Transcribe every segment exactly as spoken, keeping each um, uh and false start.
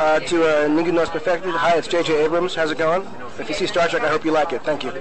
uh, to uh, Ningún No Es Perfecto. Hi, it's J J Abrams. How's it going? If you see Star Trek, I hope you like it. Thank you.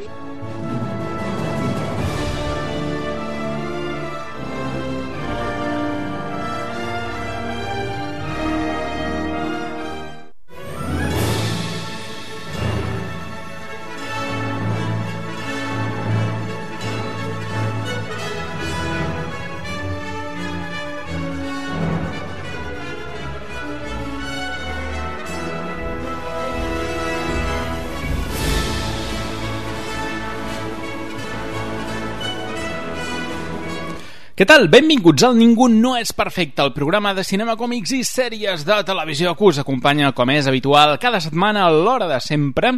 Què tal? Benvinguts al Ningú no és perfecte, el programa de cinema, còmics i sèries de televisió que us acompanya, com és habitual, cada setmana a l'hora de sempre.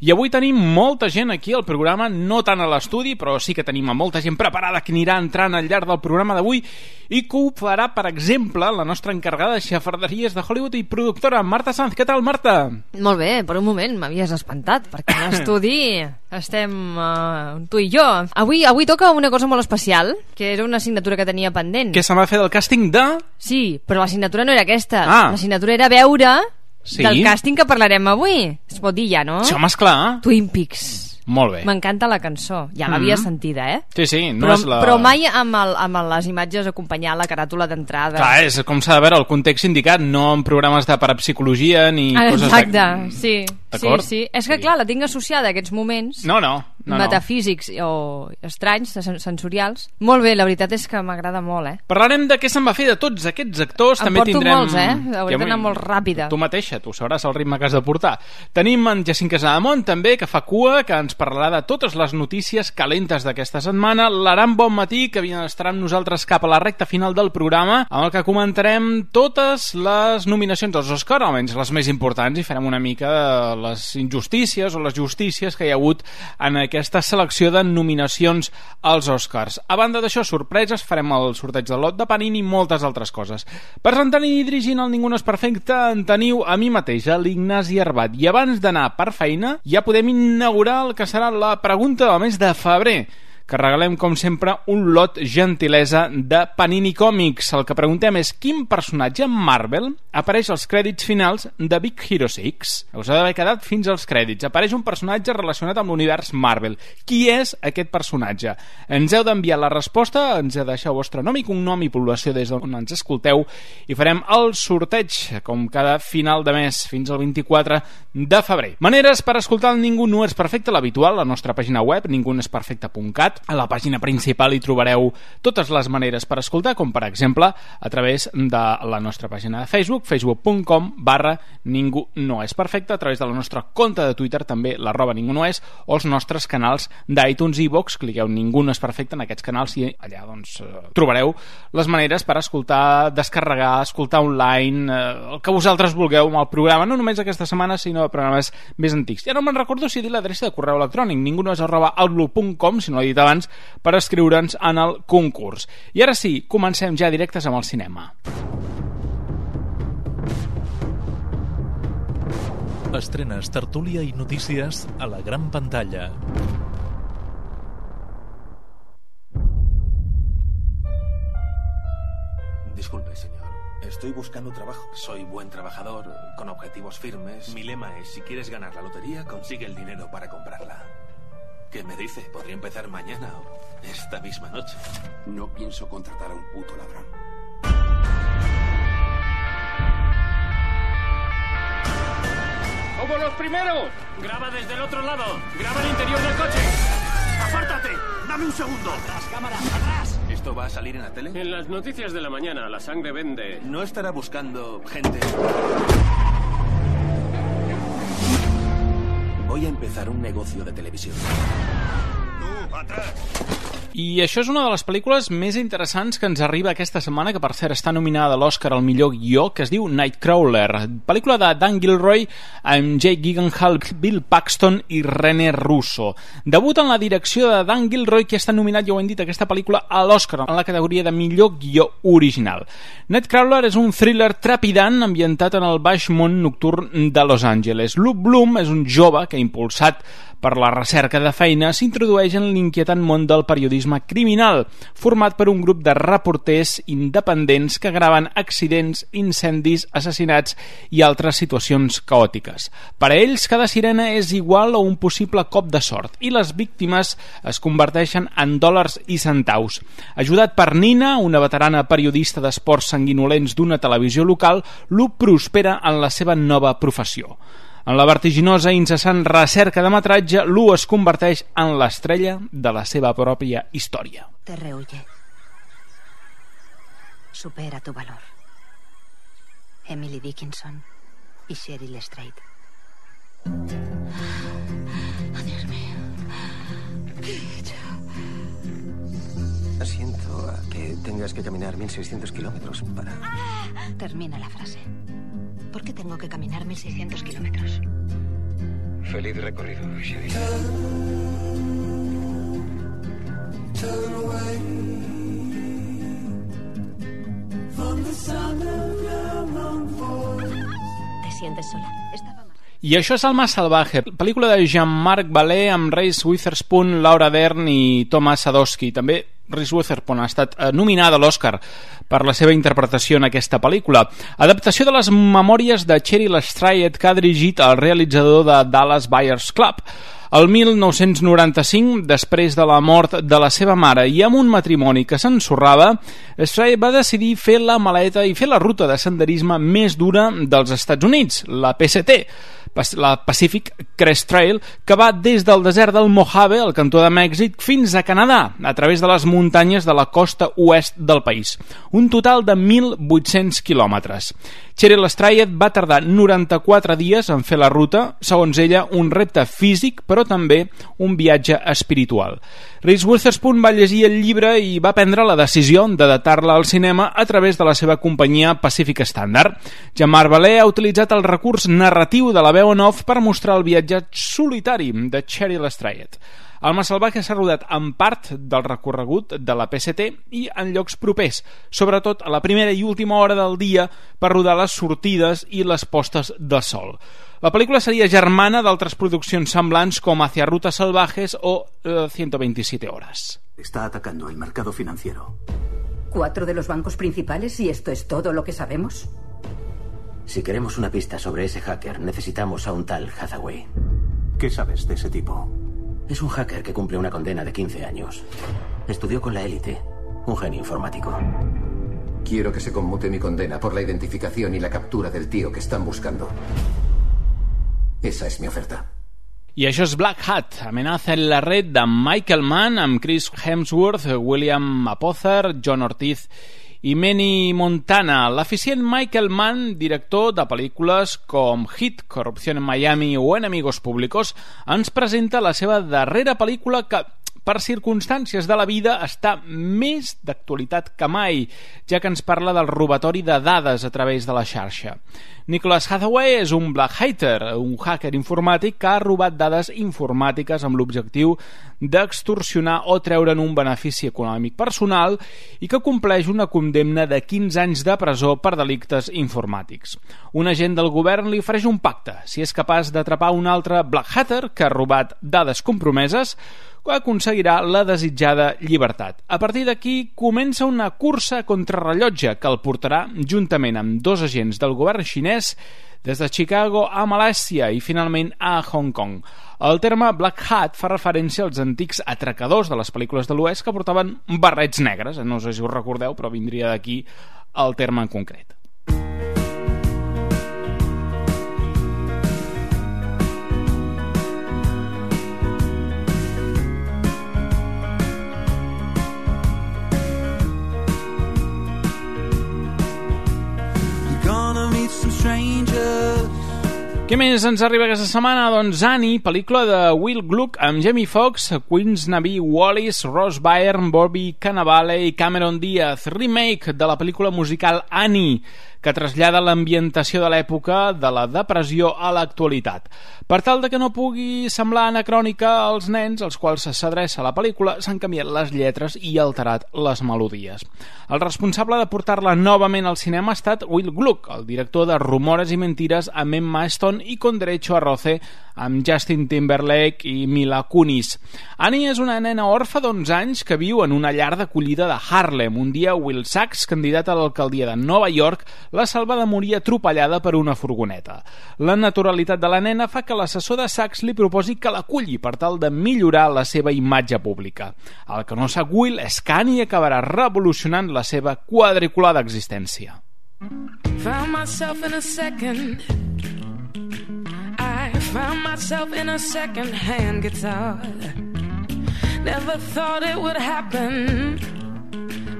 I avui tenim molta gent aquí al programa, no tant a l'estudi, però sí que tenim a molta gent preparada que anirà entrant al llarg del programa d'avui i que ho farà, per exemple, la nostra encarregada de xafarderies de Hollywood i productora, Marta Sanz. Què tal, Marta? Molt bé, per un moment m'havies espantat, perquè a l'estudi estem uh, tu i jo. Avui, avui toca una cosa molt especial, que era una assignatura que tenia pendent. Què se m'ha fet del càsting de...? Sí, però l'assignatura no era aquesta. Ah. L'assignatura era veure sí? del càsting que parlarem avui. Es pot dir ja, no? Sí, home, esclar. Twin Peaks. Molt bé. M'encanta la cançó. Ja l'havia mm-hmm. sentida, eh? Sí, sí. No però, és la... però mai amb, el, amb les imatges acompanyant la caràtula d'entrada. Clar, és com s'ha de veure el context indicat, no en programes de parapsicologia ni ah, coses... Exacte, sí. Sí, sí. És que, clar, la tinc associada a aquests moments no, no, no, metafísics no. o estranys, sensorials. Molt bé, la veritat és que m'agrada molt, eh? Parlarem de què se'n va fer de tots aquests actors. Em també porto tindrem... molts, eh? Hauré d'anar molt ràpida. Tu mateixa, tu sabràs el ritme que has de portar. Tenim en Jacint Casademont, també, que fa cua, que ens parlarà de totes les notícies calentes d'aquesta setmana. L'Aram Bonmatí, que estarà amb nosaltres cap a la recta final del programa, amb el que comentarem totes les nominacions als Oscar, almenys les més importants, i farem una mica les injustícies o les justícies que hi ha hagut en aquesta selecció de nominacions als Oscars. A banda d'això, sorpreses, farem el sorteig del lot de Panini i moltes altres coses. Presentant i dirigint el Ningú no és perfecte en teniu a mi mateix, a l'Ignasi Arbat. I abans d'anar per feina, ja podem inaugurar el que serà la pregunta del mes de febrer, que regalem, com sempre, un lot gentilesa de Panini Còmics. El que preguntem és quin personatge Marvel apareix als crèdits finals de Big Hero sis. Us ha d'haver quedat fins als crèdits. Apareix un personatge relacionat amb l'univers Marvel. Qui és aquest personatge? Ens heu d'enviar la resposta, ens heu de deixar el vostre nom i cognom i població des d'on ens escolteu i farem el sorteig, com cada final de mes, fins al vint-i-quatre de febrer. Maneres per escoltar el Ningú no és perfecte, l'habitual, la nostra pàgina web, ningú no és perfecte punt cat. A la pàgina principal hi trobareu totes les maneres per escoltar, com per exemple a través de la nostra pàgina de Facebook, facebook punt com barra ningú no és perfecte, a través de la nostra compte de Twitter, també l'arroba ningú no és, o els nostres canals d'iTunes i iVoox. Cliqueu Ningú no és perfecte en aquests canals i allà doncs trobareu les maneres per escoltar, descarregar, escoltar online, el que vosaltres vulgueu amb el programa, no només aquesta setmana sinó programes més antics. Ja no me'n recordo si he dit l'adreça de correu electrònic, ningú no és arroba outlook punt com, si no l'he dit abans, per escriure'ns en el concurs. I ara sí, comencem ja directes amb el cinema. Estrenes, tertúlia i notícies a la gran pantalla. Disculpe, señor. Estoy buscando trabajo. Soy buen trabajador, con objetivos firmes. Mi lema es, si quieres ganar la lotería, consigue el dinero para comprarla. ¿Qué me dice? Podría empezar mañana o esta misma noche. No pienso contratar a un puto ladrón. ¡Como los primeros! Graba desde el otro lado. Graba el interior del coche. ¡Apártate! ¡Dame un segundo! ¡Atrás, cámara! ¡Atrás! ¿Esto va a salir en la tele? En las noticias de la mañana, la sangre vende. ¿No estará buscando gente? Voy a empezar un negocio de televisión. ¡Tú, atrás! I això és una de les pel·lícules més interessants que ens arriba aquesta setmana, que per cert està nominada a l'Oscar al millor guió, que es diu Nightcrawler, pel·lícula de Dan Gilroy amb Jake Gyllenhaal, Bill Paxton i René Russo. Debut en la direcció de Dan Gilroy, que està nominat, ja ho hem dit, aquesta pel·lícula a l'Oscar en la categoria de millor guió original. Nightcrawler és un thriller trepidant ambientat en el baix món nocturn de Los Angeles. Luke Bloom és un jove que, impulsat per la recerca de feina, s'introdueix en l'inquietant món del periodisme criminal, format per un grup de reporters independents que graven accidents, incendis, assassinats i altres situacions caòtiques. Per a ells, cada sirena és igual a un possible cop de sort i les víctimes es converteixen en dòlars i centaus. Ajudat per Nina, una veterana periodista d'esports sanguinolents d'una televisió local, Lou prospera en la seva nova professió. En la vertiginosa i incessant recerca de metratge, Lou es converteix en l'estrella de la seva pròpia història. Te rehuye. Supera tu valor. Emily Dickinson y Cheryl Strait. Oh, Dios mío. ¿Qué he hecho? Siento a que tengas que caminar mil seiscientos kilómetros para... Termina la frase. ¿Por qué tengo que caminar mil seiscientos kilómetros? Feliz recorrido, Cheryl. ¿Te sientes sola? Estaba mal. I això és Alma Salvaje, pel·lícula de Jean-Marc Vallée amb Reese Witherspoon, Laura Dern i Thomas Sadoski. També Reese Witherspoon ha estat nominada a l'Oscar per la seva interpretació en aquesta pel·lícula. Adaptació de les memòries de Cheryl Strait que ha dirigit el realitzador de Dallas Buyers Club. El mil nou-cents noranta-cinc, després de la mort de la seva mare i amb un matrimoni que s'ensorrava, Strait va decidir fer la maleta i fer la ruta de senderisme més dura dels Estats Units, la P C T, la Pacific Crest Trail, que va des del desert del Mojave, al cantó de Mèxic, fins a Canadà, a través de les muntanyes de la costa oest del país. Un total de mil vuit-cents quilòmetres. Cheryl Strait va tardar noranta-quatre dies en fer la ruta, segons ella, un repte físic, però també un viatge espiritual. Reese Witherspoon va llegir el llibre i va prendre la decisió d'adaptar-la al cinema a través de la seva companyia Pacific Standard. Jean-Marc Vallée ha utilitzat el recurs narratiu de la veu en off per mostrar el viatge solitari de Cheryl Strait. Alma Salvaje s'ha rodat en part del recorregut de la P C T i en llocs propers, sobretot a la primera i última hora del dia per rodar les sortides i les postes de sol. La pel·lícula seria germana d'altres produccions semblants com Hacia Rutas Salvajes o eh, ciento veintisiete horas. Está atacando el mercado financiero. ¿Cuatro de los bancos principales y esto es todo lo que sabemos? Si queremos una pista sobre ese hacker, necesitamos a un tal Hathaway. ¿Qué sabes de ese tipo? Es un hacker que cumple una condena de quince años. Estudió con la élite, un genio informático. Quiero que se conmute mi condena por la identificación y la captura del tío que están buscando. Esa es mi oferta. I això és Black Hat, amenaza en la red de Michael Mann amb Chris Hemsworth, William Apother, John Ortiz i Manny Montana. L'eficient Michael Mann, director de pel·lícules com Hit, Corrupción en Miami o Enemigos Públicos, ens presenta la seva darrera pel·lícula que, per circumstàncies de la vida, està més d'actualitat que mai, ja que ens parla del robatori de dades a través de la xarxa. Nicholas Hathaway és un black hater, un hacker informàtic que ha robat dades informàtiques amb l'objectiu d'extorsionar o treure'n un benefici econòmic personal i que compleix una condemna de quinze anys de presó per delictes informàtics. Un agent del govern li ofereix un pacte. Si és capaç d'atrapar un altre black hatter que ha robat dades compromeses, aconseguirà la desitjada llibertat. A partir d'aquí comença una cursa contra rellotge que el portarà juntament amb dos agents del govern xinès des de Chicago a Malàisia i finalment a Hong Kong. El terme Black Hat fa referència als antics atracadors de les pel·lícules de l'Oest que portaven barrets negres. No sé si us recordeu, però vindria d'aquí el terme en concret. Què més ens arriba aquesta setmana? Doncs Annie, pel·lícula de Will Gluck amb Jamie Foxx, Queens Navi Wallis, Ross Byrne, Bobby Cannavale i Cameron Diaz. Remake de la pel·lícula musical Annie, que trasllada l'ambientació de l'època de la depressió a l'actualitat. Per tal de que no pugui semblar anacrònica als nens als quals s'adreça la pel·lícula, s'han canviat les lletres i alterat les melodies. El responsable de portar-la novament al cinema ha estat Will Gluck, el director de Rumores i Mentires amb Emma Stone Keaton i Con derecho a roce amb Justin Timberlake i Mila Kunis. Annie és una nena orfa d'onze anys que viu en una llar d'acollida de Harlem. Un dia Will Sachs, candidat a l'alcaldia de Nova York, la salva de morir atropellada per una furgoneta. La naturalitat de la nena fa que l'assessor de Sachs li proposi que l'aculli per tal de millorar la seva imatge pública. El que no sap Will és que Annie acabarà revolucionant la seva quadriculada existència. Found myself in a second I found myself in a second-hand guitar. Never thought it would happen,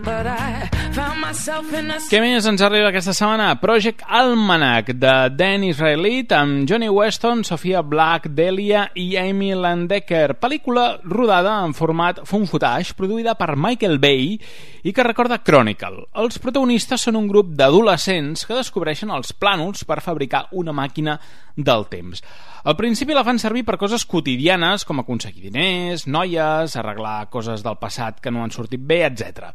but I found myself in a... Què més ens arriba aquesta setmana? Project Almanac, de Dan Israelite, amb Johnny Weston, Sofia Black, Delia i Amy Landecker. Pel·lícula rodada en format found footage, produïda per Michael Bay i que recorda Chronicle. Els protagonistes són un grup d'adolescents que descobreixen els plànols per fabricar una màquina del temps. Al principi la fan servir per coses quotidianes com aconseguir diners, noies, arreglar coses del passat que no han sortit bé, etcètera.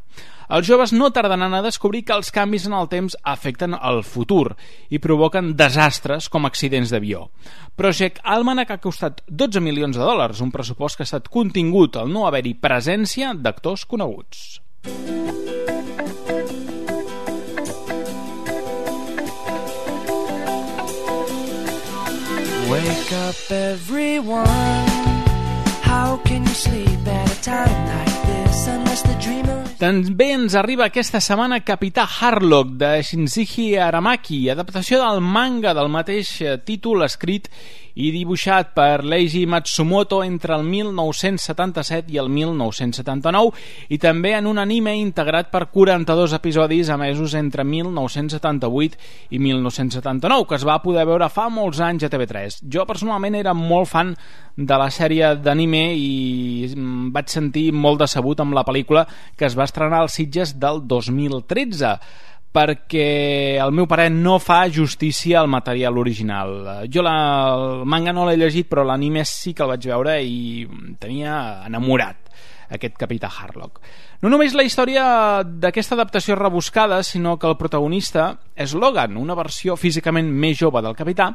Els joves no tardaran a descobrir que els canvis en el temps afecten el futur i provoquen desastres com accidents d'avió. Project Almanac ha costat dotze milions de dòlars, un pressupost que ha estat contingut al no haver-hi presència d'actors coneguts. Wake up everyone. How can you sleep at a time like this unless the dreamer... També ens arriba aquesta setmana Capità Harlock de Shinji Aramaki, adaptació del manga del mateix títol escrit i dibuixat per Leiji Matsumoto entre el mil nou-cents setanta-set i el mil nou-cents setanta-nou i també en un anime integrat per quaranta-dos episodis emesos entre mil nou-cents setanta-vuit i mil nou-cents setanta-nou, que es va poder veure fa molts anys a T V tres. Jo personalment era molt fan de la sèrie d'anime i vaig sentir molt decebut amb la pel·lícula que es va estrenar als Sitges del dos mil tretze, perquè el meu pare no fa justícia al material original. Jo la, el manga no l'he llegit, però l'anime sí que el vaig veure i tenia enamorat aquest Capità Harlock. No només la història d'aquesta adaptació rebuscada, sinó que el protagonista és Logan, una versió físicament més jove del capità,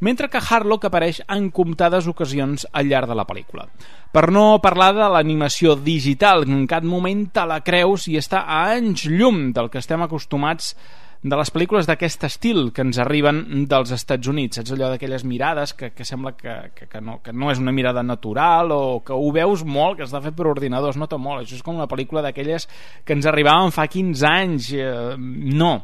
mentre que Harlock apareix en comptades ocasions al llarg de la pel·lícula. Per no parlar de l'animació digital, que en cap moment te la creus i està a anys llum del que estem acostumats de les pel·lícules d'aquest estil que ens arriben dels Estats Units. Saps allò d'aquelles mirades que, que sembla que, que, que, no, que no és una mirada natural o que ho veus molt, que està fet per ordinador, es nota molt. Això és com una pel·lícula d'aquelles que ens arribaven fa quinze anys. Eh, no.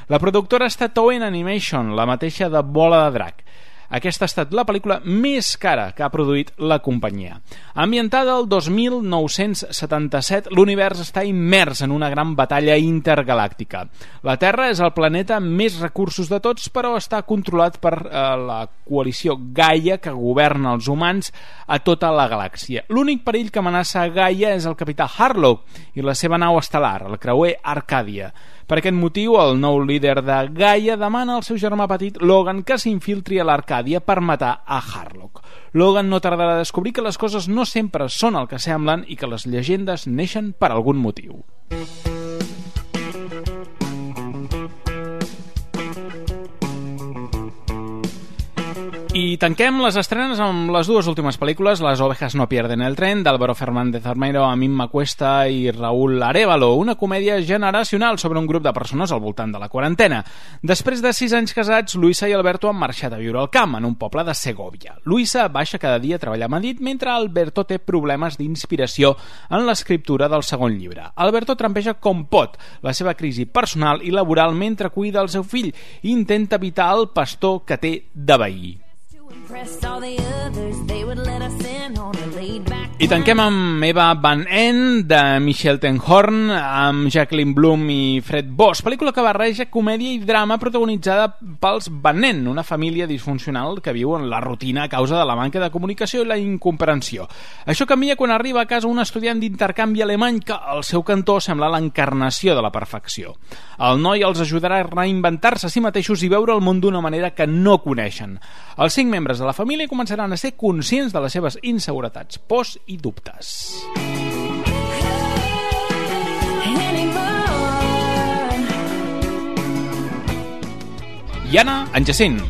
La productora ha estat Toei Animation, la mateixa de Bola de Drac. Aquesta ha estat la pel·lícula més cara que ha produït la companyia. Ambientada el dos mil nou-cents setanta-set, l'univers està immers en una gran batalla intergalàctica. La Terra és el planeta amb més recursos de tots, però està controlat per eh, la coalició Gaia, que governa els humans a tota la galàxia. L'únic perill que amenaça Gaia és el capità Harlock i la seva nau estel·lar, el creuer Arcàdia. Per aquest motiu, el nou líder de Gaia demana al seu germà petit Logan que s'infiltri a l'Arcàdia per matar a Harlock. Logan no tardarà a descobrir que les coses no sempre són el que semblen i que les llegendes neixen per algun motiu. I tanquem les estrenes amb les dues últimes pel·lícules, Las ovejas no pierden el tren, d'Álvaro Fernández Armero, Amimma Cuesta i Raúl Arévalo, una comèdia generacional sobre un grup de persones al voltant de la quarantena. Després de sis anys casats, Luisa i Alberto han marxat a viure al camp, en un poble de Segovia. Luisa baixa cada dia a treballar a Madrid, mentre Alberto té problemes d'inspiració en l'escriptura del segon llibre. Alberto trampeja com pot la seva crisi personal i laboral mentre cuida el seu fill i intenta evitar el pastor que té de veí. I tanquem amb Eva Van En, de Michel Tenhorn, amb Jacqueline Bloom i Fred Boss, pel·lícula que barreja comèdia i drama protagonitzada pels Van En, una família disfuncional que viu en la rutina a causa de la manca de comunicació i la incomprensió. Això canvia quan arriba a casa un estudiant d'intercanvi alemany que al seu cantó sembla l'encarnació de la perfecció. El noi els ajudarà a reinventar-se a si mateixos i veure el món d'una manera que no coneixen. Els cinc membres de la família començaran a ser conscients de les seves inseguretats, pors i dubtes. I Anna, en Jacint.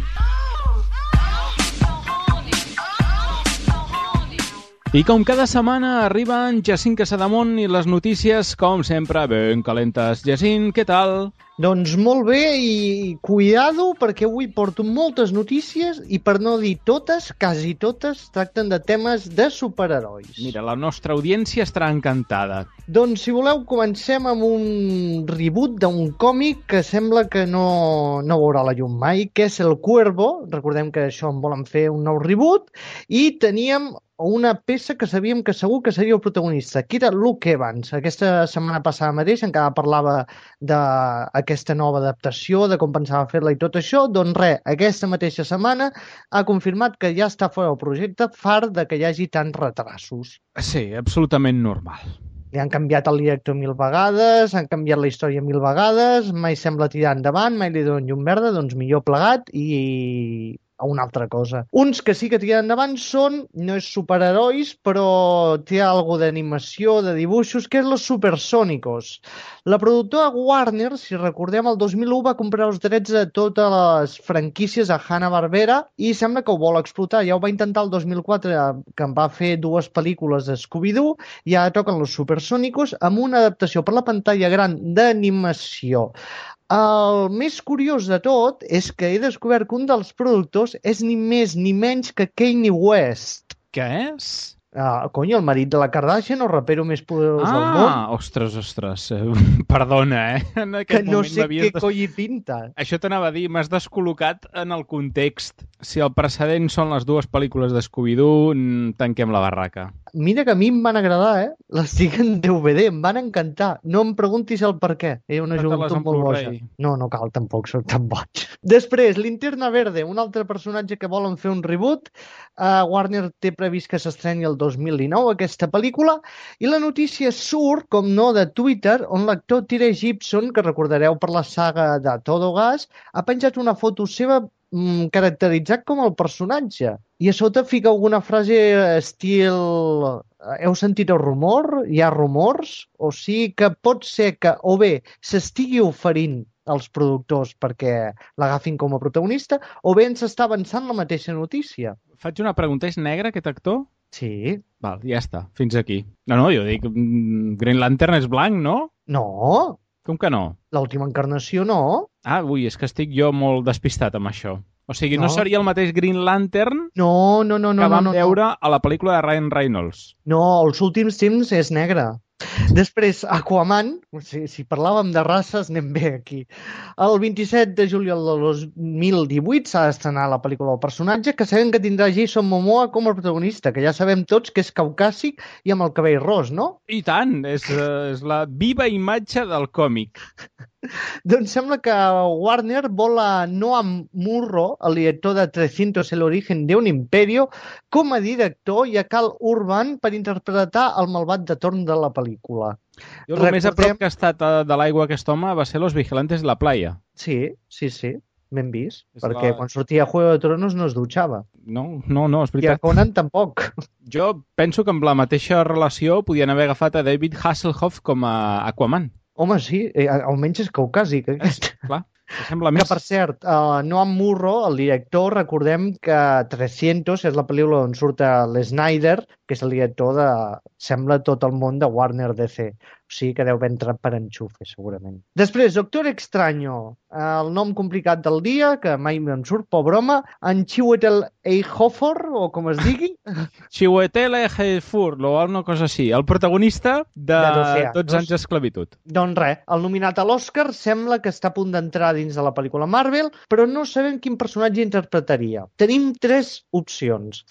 I com cada setmana arriben Jacint Casademont i les notícies, com sempre, ben calentes. Jacint, què tal? Doncs molt bé i cuidado perquè avui porto moltes notícies i per no dir totes, quasi totes, tracten de temes de superherois. Mira, la nostra audiència estarà encantada. Doncs si voleu comencem amb un reboot d'un còmic que sembla que no, no veurà la llum mai, que és El Cuervo. Recordem que això en volen fer un nou reboot i teníem una peça que sabíem que segur que seria el protagonista, que era Luke Evans. Aquesta setmana passada mateix encara parlava d'aquesta nova adaptació, de com pensava fer-la i tot això. Doncs res, aquesta mateixa setmana ha confirmat que ja està fora del projecte, fart de que hi hagi tants retrasos. Sí, absolutament normal. Li han canviat el director mil vegades, han canviat la història mil vegades, mai sembla tirar endavant, mai li donen llum verda, doncs millor plegat i a una altra cosa. Uns que sí que tiren endavant són, no és superherois, però té algo d'animació, de dibuixos, que és los Supersónicos. La productora Warner, si recordem, el dos mil u va comprar els drets de totes les franquícies a Hanna-Barbera i sembla que ho vol explotar. Ja ho va intentar el dos mil quatre, que en va fer dues pel·lícules de Scooby-Doo, i ara toquen los Supersónicos amb una adaptació per la pantalla gran d'animació. El més curiós de tot és que he descobert que un dels productors és ni més ni menys que Kanye West. Què és? Ah, cony, el marit de la Kardashian, el rapero més poderós ah, del món. Ah, ostres, ostres. Perdona, eh? En que no sé què des... coi pinta. Això t'anava a dir, m'has descol·locat en el context. Si el precedent són les dues pel·lícules de Scooby-Doo, tanquem la barraca. Mira que a mi em van agradar, eh? Les tinc en D V D, em van encantar. No em preguntis el per què. Era una joventut molt boja. No, no cal, tampoc, soc tan boig. Després, Linterna Verde, un altre personatge que volen fer un reboot. Uh, Warner té previst que s'estreni el dos mil dinou aquesta pel·lícula i la notícia surt, com no, de Twitter, on l'actor Tyree Gibson, que recordareu per la saga de Todo Gas, ha penjat una foto seva mm, caracteritzat com el personatge. I a sota fica alguna frase estil... Heu sentit el rumor? Hi ha rumors? O sigui que pot ser que o bé s'estigui oferint als productors perquè l'agafin com a protagonista o bé ens està avançant la mateixa notícia. Faig una pregunta, és negre aquest actor? Sí. Val, ja està, fins aquí. No, no, jo dic, Green Lantern és blanc, no? No. Com que no? L'última encarnació no. Ah, ui, és que estic jo molt despistat amb això. O sigui, no, no seria el mateix Green Lantern no, no, no, no, que vam no, no, veure no. a la pel·lícula de Ryan Reynolds. No, els últims temps és negre. Després, Aquaman, si, si parlàvem de races, anem bé aquí. El vint-i-set de juliol del dos mil divuit s'ha d'estrenar la pel·lícula del personatge, que sabem que tindrà Jason Momoa com a protagonista, que ja sabem tots que és caucàsic i amb el cabell ros, no? I tant, és, és la viva imatge del còmic. Doncs sembla que Warner vol a Noam Murro, el director de trescientos el origen de un imperio, com a director i a Cal Urban per interpretar el malvat de torn de la pel·lícula. Jo el Recordem... més a prop que ha estat de l'aigua aquest home va ser Los Vigilantes de la Playa. Sí, sí, sí. Ben vist, és perquè la... quan sortia Juego de Tronos no es dutxava. No, no, no, és veritat. I a Conan tampoc. Jo penso que amb la mateixa relació podien haver agafat a David Hasselhoff com a Aquaman. Home, sí, eh, almenys és caucàsic. Aquest. Clar, sembla més... Que, per cert, uh, Noam Murro, el director, recordem que trescientos és la pel·lícula on surt l'Snyder, que és el director de, sembla, tot el món de Warner D C. O sigui que deu haver entrat per enxufe, segurament. Després, Doctor Extraño, el nom complicat del dia, que mai em surt, pobre home, en Chiwetel Ejiofor, o com es digui. Chiwetel Ejiofor, o una cosa així. El protagonista de, de dotze anys d'esclavitud. Doncs res, el nominat a l'Oscar sembla que està a punt d'entrar dins de la pel·lícula Marvel, però no sabem quin personatge interpretaria. Tenim tres opcions.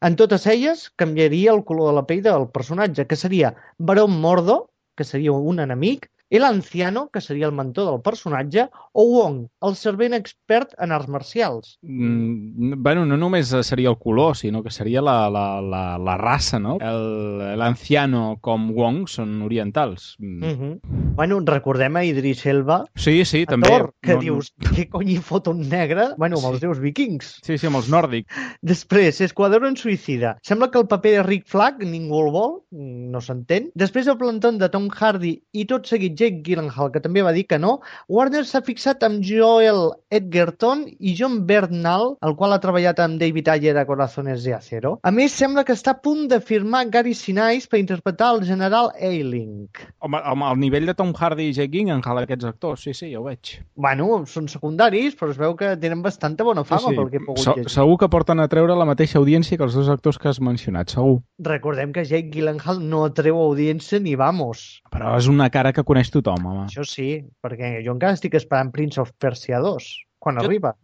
En totes elles, canviaria el color de la pell del personatge, que seria Barón Mordo, que seria un enemic, El Anciano, que seria el mentor del personatge, o Wong, el servent expert en arts marcials. Mm, bueno, no només seria el color, sinó que seria la, la, la, la raça, no? L'Anciano com Wong són orientals. Mm. Mm-hmm. Bueno, recordem a Idris Elba. Sí, sí, també. Thor, que no, dius, no... què cony hi fot un negre? Bueno, amb sí. els déus vikings. Sí, sí, amb els nòrdics. Després, Esquadrón Suïcida. Sembla que el paper de Rick Flag ningú el vol, no s'entén. Després, el plantón de Tom Hardy i tot seguit Jake Gyllenhaal, que també va dir que no, Warner s'ha fixat amb Joel Edgerton i John Bernal, el qual ha treballat amb David Ayer a Corazones de Acero. A més, sembla que està a punt de firmar Gary Sinise per interpretar el general Ailing. Home, home, al nivell de Tom Hardy i Jake Gyllenhaal, aquests actors, sí, sí, ja ho veig. Bueno, són secundaris, però es veu que tenen bastanta bona fama, sí, sí. Pel que he pogut Se llegir. Segur que porten a treure la mateixa audiència que els dos actors que has mencionat, segur. Recordem que Jake Gyllenhaal no treu audiència ni vamos. Però és una cara que coneix tothom, home. Això sí, perquè jo encara estic esperant Prince of Persia dos, quan jo... arriba.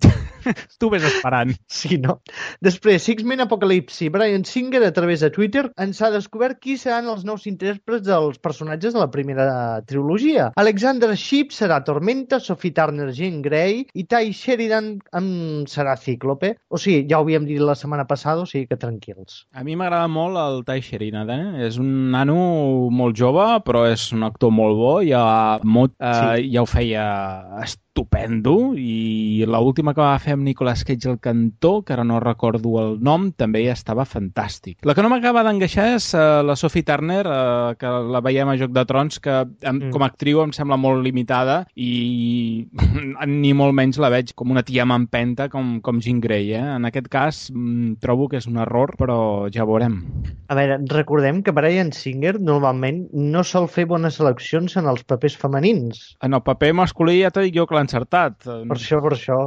Tu ves esperant. Sí, no? Després, X-Men Apocalipsi. Bryan Singer, a través de Twitter, ens ha descobert qui seran els nous intèrprets dels personatges de la primera trilogia. Alexander Shipp serà Tormenta, Sophie Turner Jean Grey i Ty Sheridan en serà Cíclope. O sigui, ja ho havíem dit la setmana passada, o sigui que tranquils. A mi m'agrada molt el Ty Sheridan, eh? És un nano molt jove, però és un actor molt bo. Ja, molt, eh, sí. ja ho feia estupendo, i l'última que va fer amb Nicolas Cage al cantó, que ara no recordo el nom, també estava fantàstic. La que no m'acaba d'engaixar és uh, la Sophie Turner, uh, que la veiem a Joc de Trons, que em, mm. com a actriu em sembla molt limitada i ni molt menys la veig com una tia mampenta com, com Jean Grey. Eh? En aquest cas mm, trobo que és un error, però ja veurem. A veure, recordem que Bryan Singer normalment no sol fer bones seleccions en els papers femenins. En el paper masculí ja t'he dit jo que l'ha encertat. Per això, per això.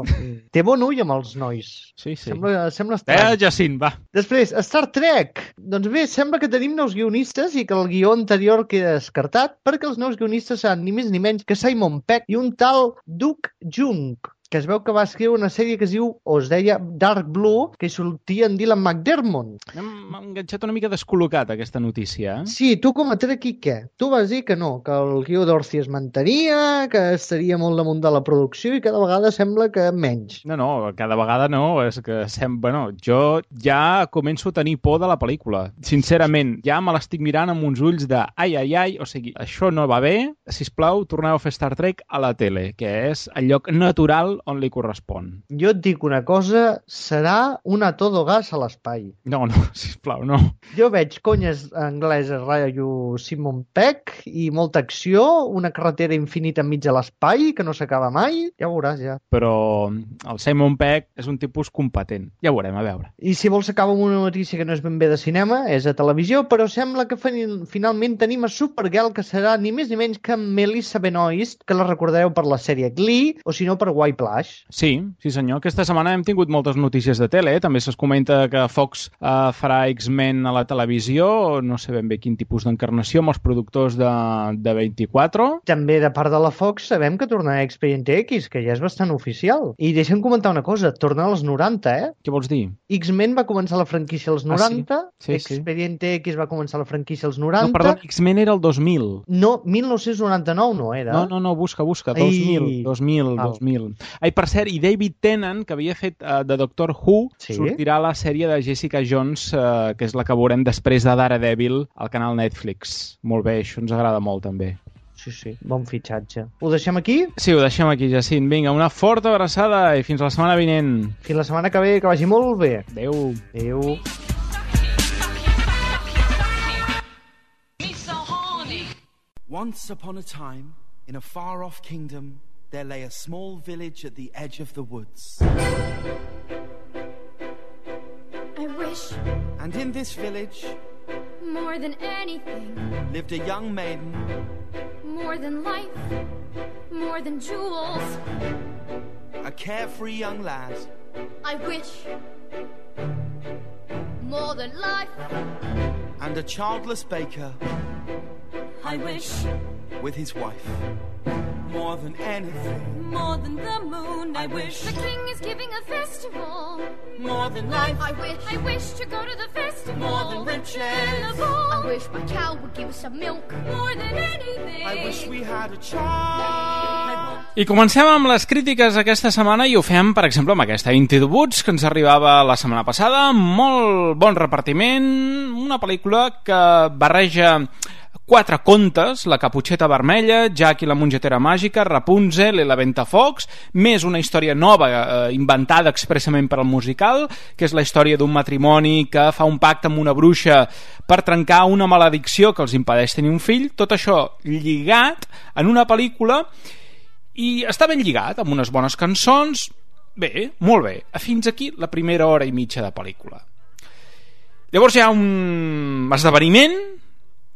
Té bon ull amb els nois. Sí, sí. Sembla, sembla estrany. Eh, Jacint, va. Després, Star Trek. Doncs bé, sembla que tenim nous guionistes i que el guió anterior queda descartat perquè els nous guionistes seran ni més ni menys que Simon Pegg i un tal Duke Jung, que es veu que va escriure una sèrie que es diu, o es deia, Dark Blue, que hi sortia en Dylan McDermott. M'ha enganxat una mica descol·locat, aquesta notícia. Eh? Sí, tu com a Trekkie, què? Tu vas dir que no, que el guió d'Orci es mantenia, que estaria molt damunt de la producció i cada vegada sembla que menys. No, no, cada vegada no, és que sem... bueno, jo ja començo a tenir por de la pel·lícula. Sincerament, ja me l'estic mirant amb uns ulls de ai, ai, ai, o sigui, això no va bé, sisplau, torneu a fer Star Trek a la tele, que és el lloc natural on li correspon. Jo et dic una cosa, serà un a todo gas a l'espai. No, no, sisplau, no. Jo veig conyes angleses ratllo Simon Pegg i molta acció, una carretera infinita enmig de l'espai que no s'acaba mai, ja ho veuràs, ja. Però el Simon Pegg és un tipus competent. Ja ho veurem, a veure. I si vols acabar amb una notícia que no és ben bé de cinema, és a televisió, però sembla que finalment tenim a Supergirl, que serà ni més ni menys que Melissa Benoist, que la recordareu per la sèrie Glee, o si no per White Plash. Sí, sí senyor. Aquesta setmana hem tingut moltes notícies de tele. També es comenta que Fox uh, farà X-Men a la televisió. No sé ben bé quin tipus d'encarnació amb els productors de, de vint-i-quatre. També de part de la Fox sabem que tornarà Expediente X, que ja és bastant oficial. I deixa'm comentar una cosa, torna als noranta, eh? Què vols dir? X-Men va començar la franquícia als noranta, ah, sí? Sí, Expediente sí. X va començar la franquícia als noranta... No, perdó, X-Men era el dos mil. No, mil nou-cents noranta-nou no era. No, no, no, busca, busca, dos mil, Ai. dos mil, ah. dos mil. Ai, per cert, i David Tennant, que havia fet uh, de Doctor Who, sí? sortirà a la sèrie de Jessica Jones, uh, que és la que veurem després de Daredevil al canal Netflix. Molt bé, això ens agrada molt, també. Sí, sí, bon fitxatge. Ho deixem aquí? Sí, ho deixem aquí, Jacint. Vinga, una forta abraçada i fins la setmana vinent. Fins la setmana que ve, que vagi molt bé. Adéu. Adéu. Once upon a time, in a far-off kingdom, there lay a small village at the edge of the woods. I wish. And in this village, more than anything, lived a young maiden. More than life, more than jewels. A carefree young lad. I wish. More than life. And a childless baker. I wish. With his wife. More than anything. More than the moon, I, I wish. The king is giving a festival. More than life. I wish. I wish to go to the festival. More than riches. I wish my cow would give us some milk. More than anything. I wish we had a child. I want I comencem amb les crítiques aquesta setmana i ho fem, per exemple, amb aquesta Into the Woods, que ens arribava la setmana passada. Molt bon repartiment, una pel·lícula que barreja quatre contes, La Caputxeta Vermella, Jack i la mongetera màgica, Rapunzel i la Ventafocs, més una història nova eh, inventada expressament per al musical, que és la història d'un matrimoni que fa un pacte amb una bruixa per trencar una maledicció que els impedeix tenir un fill. Tot això lligat en una pel·lícula i està ben lligat, amb unes bones cançons. Bé, molt bé. Fins aquí la primera hora i mitja de pel·lícula. Llavors hi ha un esdeveniment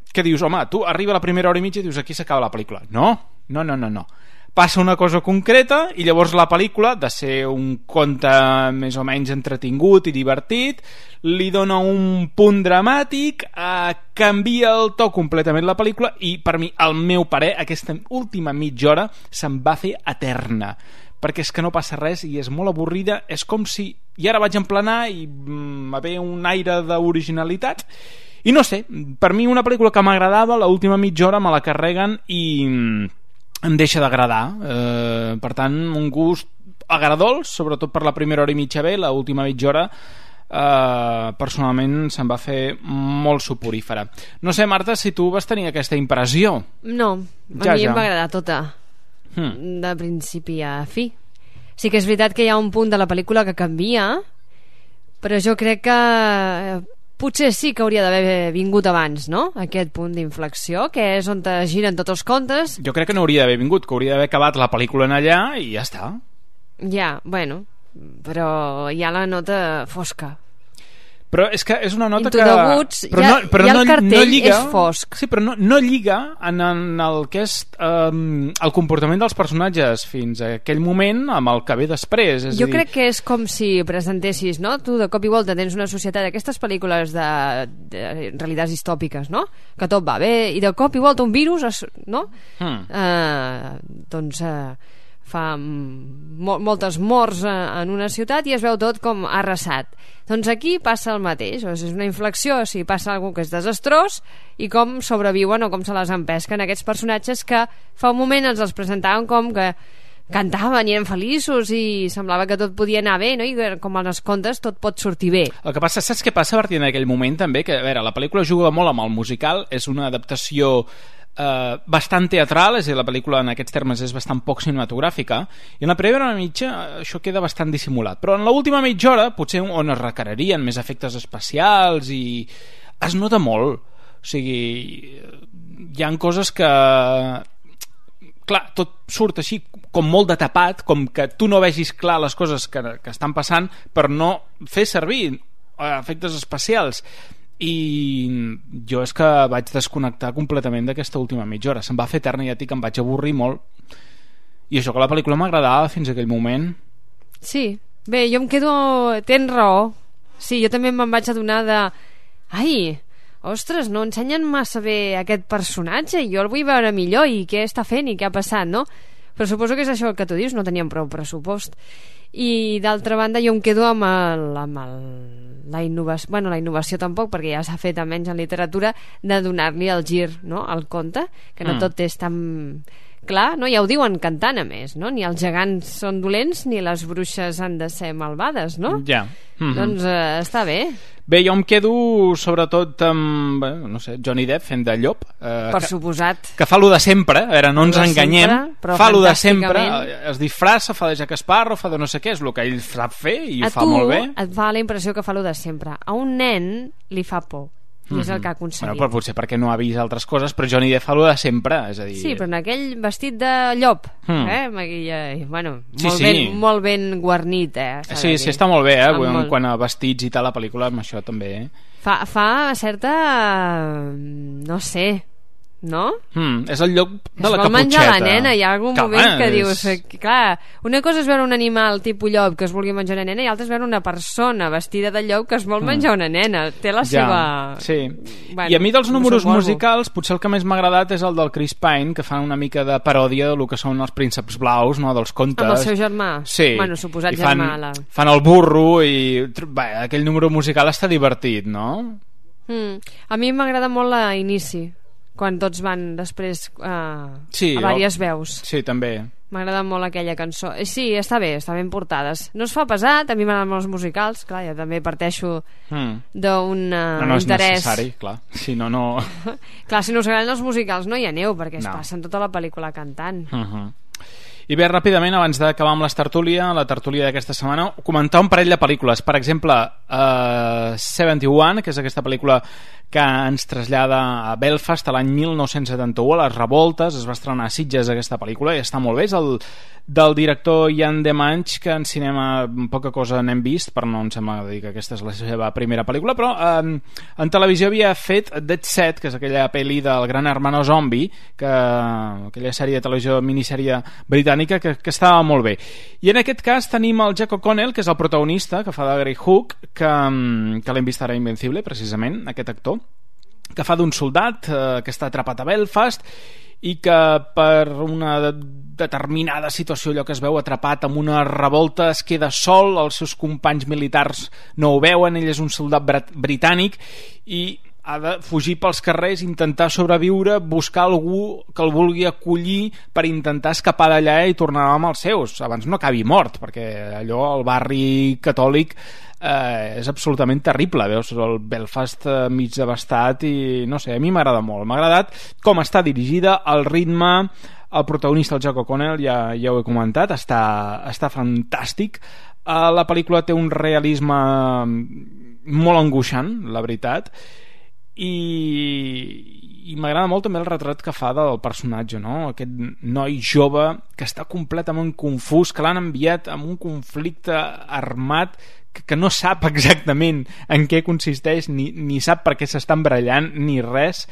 que dius, home, tu arriba la primera hora i mitja i dius, aquí s'acaba la pel·lícula. No, no, no, no, no. Passa una cosa concreta i llavors la pel·lícula, de ser un conte més o menys entretingut i divertit, li dona un punt dramàtic, eh, canvia el to completament la pel·lícula i, per mi, al meu parer, aquesta última mitja hora se'n va fer eterna, perquè és que no passa res i és molt avorrida. És com si, i ara vaig emplenar i mm, va haver un aire d'originalitat. I no sé, per mi una pel·lícula que m'agradava, l'última mitja hora me la carreguen i em deixa d'agradar. Eh, per tant, un gust agradols, sobretot per la primera hora i mitja bé, l'última mitja hora eh, personalment se'n va fer molt soporífera. No sé, Marta, si tu vas tenir aquesta impressió. No, a ja, mi ja. em va agradar tota, hmm. de principi a fi. Sí que és veritat que hi ha un punt de la pel·lícula que canvia, però jo crec que potser sí que hauria d'haver vingut abans, no? Aquest punt d'inflexió, que és on es giren tots els contes. Jo crec que no hauria d'haver vingut, que hauria d'haver acabat la pel·lícula en allà i ja està. Ja, bueno, però hi ha la nota fosca. Però és que és una nota Into que... the Woods, però ja, no, però ja no, el cartell no lliga, és fosc. Sí, però no, no lliga en, en el que és um, el comportament dels personatges fins a aquell moment amb el que ve després. És jo a dir... crec que és com si presentessis, no? Tu de cop i volta tens una societat d'aquestes pel·lícules de, de realitats distòpiques, no? Que tot va bé i de cop i volta un virus, es, no? Hmm. Uh, doncs... Uh, fa mo moltes morts en una ciutat i es veu tot com arrasat. Doncs aquí passa el mateix, o sigui, és una inflexió, o sigui, passa alguna que és desastrós i com sobreviuen o com se les empesquen aquests personatges que fa un moment ens els presentaven com que cantaven i eren feliços i semblava que tot podia anar bé, no? I com en els contes tot pot sortir bé. El que passa, saps què passa a partir d'aquell moment també? Que, a veure, la pel·lícula juga molt amb el musical, és una adaptació Uh, bastant teatral, és a dir, la pel·lícula en aquests termes és bastant poc cinematogràfica i en la primera hora mitja això queda bastant dissimulat, però en l'última mitja hora potser on es requerarien més efectes especials i es nota molt, o sigui hi han coses que clar, tot surt així com molt de tapat, com que tu no vegis clar les coses que, que estan passant per no fer servir efectes especials. I jo és que vaig desconnectar completament d'aquesta última mitja hora, se'm va fer eterna i ja dic que em vaig avorrir molt i això que la pel·lícula m'agradava fins a aquell moment. Sí, bé, jo em quedo... tens raó, sí, jo també me'n vaig adonar de ai, ostres, no ensenyen massa bé aquest personatge i jo el vull veure millor i què està fent i què ha passat, no? Però suposo que és això que tu dius, no teníem prou pressupost. I d'altra banda jo em quedo amb el, amb el, la innovació, bueno, la innovació tampoc, perquè ja s'ha fet almenys en literatura, de donar-li el gir, no?, al conte, que no mm. tot és tan clar, no? Ja ho diuen cantant, a més, no? Ni els gegants són dolents ni les bruixes han de ser malvades, no? Ja. Mm-hmm. Doncs eh, està bé. Bé, jo em quedo sobretot amb, bé, no sé, Johnny Depp fent de llop. Eh, per que, suposat. Que fa lo de sempre, a veure, no ens enganyem. Sempre, fa lo de sempre, es disfressa, fa de Jack Sparrow, fa de no sé què, és el que ell sap fer i ho fa molt bé. A tu et fa la impressió que fa lo de sempre. A un nen li fa por. I mm-hmm. és el que ha aconseguit. Bueno, però potser perquè no ha vist altres coses, però Johnny Depp fa lo de sempre, és a dir... Sí, però en aquell vestit de llop, mm. eh? Maquilla, bueno, sí, molt, sí. Ben, molt ben guarnit, eh? Sí, sí, està molt bé, eh? Quan, molt... quan a vestits i tal, la pel·lícula, amb això també, eh? Fa, fa certa... no sé... no? Mm, és el lloc de es la caputxeta. Es vol menjar la nena, hi ha algun que moment que és... dius... Clar, una cosa és veure un animal tipus llop que es vulgui menjar una nena i l'altra és veure una persona vestida de llop que es vol menjar una nena. Té la ja, seva... Sí. Bueno, i a mi dels números musicals potser el que més m'ha agradat és el del Chris Pine, que fan una mica de paròdia del que són els prínceps blaus, no?, dels contes. Amb el seu germà. Sí. Bueno, suposat I fan, germà. La... fan el burro i... Bé, aquell número musical està divertit, no? Mm. A mi m'agrada molt l'inici, quan tots van després uh, sí, a diverses veus. Sí, també. M'agrada molt aquella cançó. Sí, està bé, està ben portada. No es fa pesat, a mi m'agraden els musicals. Clar, jo també parteixo mm. d'un uh, no, no interès. No és necessari, clar. Si no, no... clar, si no us agraden els musicals no hi aneu, perquè es no. passen tota la pel·lícula cantant. Uh-huh. I bé, ràpidament, abans d'acabar amb les tertúlia, la tertúlia d'aquesta setmana, comentar un parell de pel·lícules. Per exemple, uh, setanta u, que és aquesta pel·lícula que ens trasllada a Belfast a l'any mil nou-cents setanta-u, a les revoltes. Es va estrenar a Sitges aquesta pel·lícula i està molt bé. És el del director Jan de Manch, que en cinema poca cosa n'hem vist, per no em sembla dir que aquesta és la seva primera pel·lícula, però eh, en televisió havia fet Dead Set, que és aquella pel·li del Gran Hermano Zombie, que, aquella sèrie de televisió, minissèrie britànica, que, que estava molt bé. I en aquest cas tenim el Jack O'Connell, que és el protagonista, que fa de Grey Hook, que, que l'hem vist ara a Invencible, precisament, aquest actor, que fa d'un soldat eh, que està atrapat a Belfast i que per una de determinada situació, allò que es veu atrapat en una revolta, es queda sol, els seus companys militars no ho veuen, ell és un soldat br- britànic i ha de fugir pels carrers, intentar sobreviure, buscar algú que el vulgui acollir per intentar escapar d'allà i tornar amb els seus, abans no acabi mort, perquè allò, el barri catòlic eh, és absolutament terrible, veus el Belfast eh, mig devastat i no sé, a mi m'agrada molt, m'ha agradat com està dirigida, el ritme, el protagonista, el Jack O'Connell, ja, ja ho he comentat, està, està fantàstic. Uh, la pel·lícula té un realisme molt angoixant, la veritat, i, i m'agrada molt també el retrat que fa del personatge, no? Aquest noi jove que està completament confús, que l'han enviat en un conflicte armat que, que no sap exactament en què consisteix, ni, ni sap per què s'estan barallant, ni res.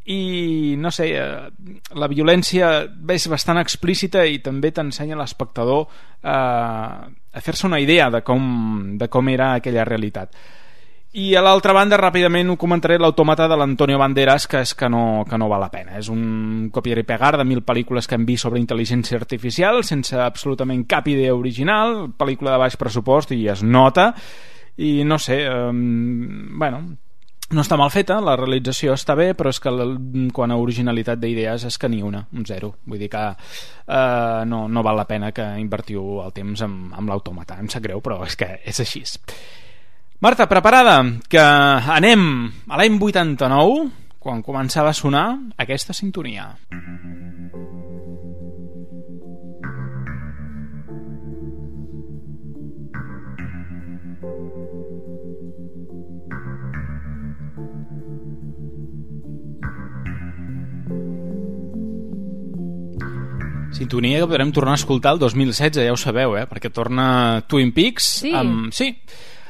I no sé, la violència és bastant explícita i també t'ensenya l'espectador eh, a fer-se una idea de com, de com era aquella realitat. I a l'altra banda, ràpidament ho comentaré, l'Automata de l'Antonio Banderas, que és que no, que no val la pena. És un copiar i pegar de mil pel·lícules que hem vist sobre intel·ligència artificial sense absolutament cap idea original, pel·lícula de baix pressupost i es nota, i no sé, eh, bueno, no està mal feta, la realització està bé, però és que quan a originalitat d'idees és que ni una, un zero. Vull dir que eh, no, no val la pena que invertiu el temps amb, amb l'Automata. Em sap greu, però és que és així. Marta, preparada? Que anem a l'any vuitanta-nou, quan començava a sonar aquesta sintonia. Sintonia que podrem tornar a escoltar el dos mil setze, ja ho sabeu, eh? Perquè torna Twin Peaks sí. amb, sí,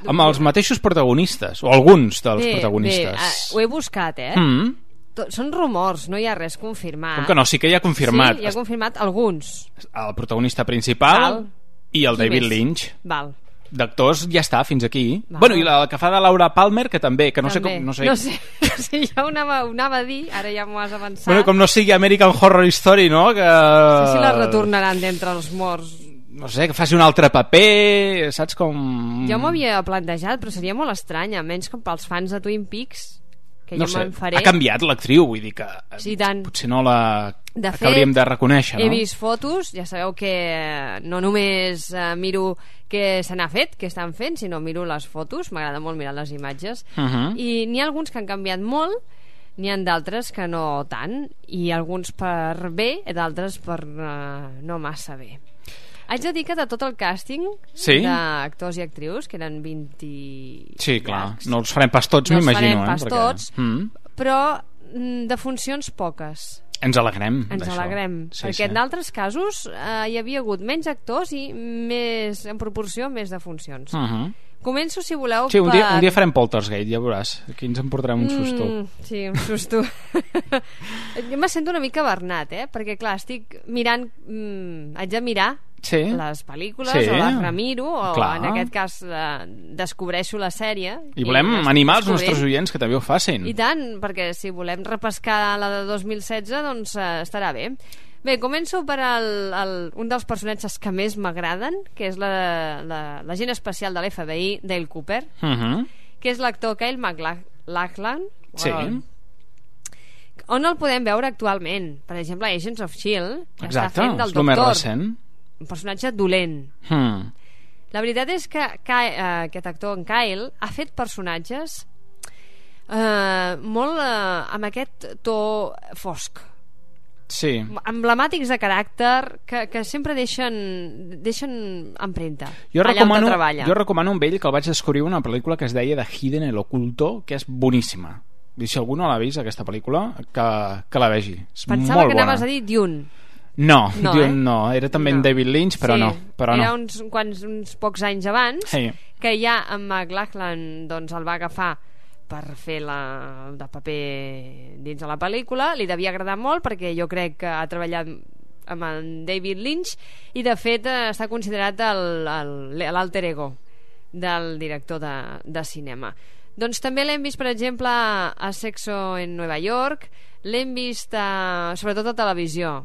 amb els mateixos protagonistes, o alguns dels bé, protagonistes. Bé, uh, ho he buscat, eh? Mm. Són rumors, no hi ha res confirmat. Com que no? Sí que hi ha confirmat. Sí, hi ha confirmat alguns. El protagonista principal Val. I el Qui David més? Lynch. Val. D'actors ja està, fins aquí. Val. Bueno, i la que fa de Laura Palmer, que també, que no també. sé com... No sé, no sé, no sé ja ho anava, ho anava a dir, ara ja m'ho has avançat. Bueno, com no sigui American Horror Story, no? Que... No sé si la retornaran d'entre els morts. No sé, que faci un altre paper, saps com... Jo m'ho havia plantejat, però seria molt estrany, almenys com pels fans de Twin Peaks, que no jo sé, me'n faré. Ha canviat l'actriu, vull dir que sí, tant. Potser no la de fet, hauríem de reconèixer, no? He vist fotos, ja sabeu que no només uh, miro què se n'ha fet, què estan fent, sinó miro les fotos, m'agrada molt mirar les imatges, uh -huh. i n'hi ha alguns que han canviat molt, n'hi ha d'altres que no tant, i alguns per bé, i d'altres per uh, no massa bé. Haig de dir que de tot el càsting sí? d'actors i actrius, que eren vint... Sí, clar, no els farem pas tots, no m'imagino. No els farem pas eh? tots, perquè... mm. però de funcions poques. Ens alegrem Ens d'això. alegrem, sí, perquè sí. en d'altres casos eh, hi havia hagut menys actors i més, en proporció més de funcions. Uh -huh. Començo, si voleu, sí, un dia, per... un dia farem Poltergeist, ja veuràs. Aquí ens en portarem un susto. Mm, sí, un susto. Jo me sento una mica Bernat, eh? Perquè, clar, estic mirant... Mm, haig de mirar sí. les pel·lícules, sí. o les remiro, o clar. en aquest cas eh, descobreixo la sèrie. I volem i animar els nostres oients que també ho facin. I tant, perquè si volem repescar la de dos mil setze, doncs eh, estarà bé. Bé, començo per el, el, un dels personatges que més m'agraden, que és l'agent la, especial de l'F B I, Dale Cooper, uh -huh. que és l'actor Kyle MacLachlan. Sí. on el podem veure actualment. Per exemple, Agents of S H I E L D, que Exacte, està fent del és el més doctor. recent. Un personatge dolent. Hmm. La veritat és que Ky- eh, aquest actor, en Kyle, ha fet personatges eh, molt eh, amb aquest to fosc. Sí. Emblemàtics de caràcter que, que sempre deixen, deixen empremta Jo allà on recomano, treballa. jo recomano amb ell que el vaig descobrir una pel·lícula que es deia The Hidden el Oculto, que és boníssima. I si algú no l'ha vist, aquesta pel·lícula, que, que la vegi. És Pensava molt que bona. anaves a dir Dune. No, No, Dune eh? no. Era també en No. David Lynch, però sí, no. Però era no. uns, quants, uns pocs anys abans Sí. que ja en McLachlan doncs, el va agafar per fer la, de paper dins de la pel·lícula. Li devia agradar molt perquè jo crec que ha treballat amb en David Lynch i de fet eh, està considerat el- el- l'alter ego del director de, de cinema. Doncs també l'hem vist, per exemple, a Sexo en Nueva York, l'hem vist a, sobretot a televisió.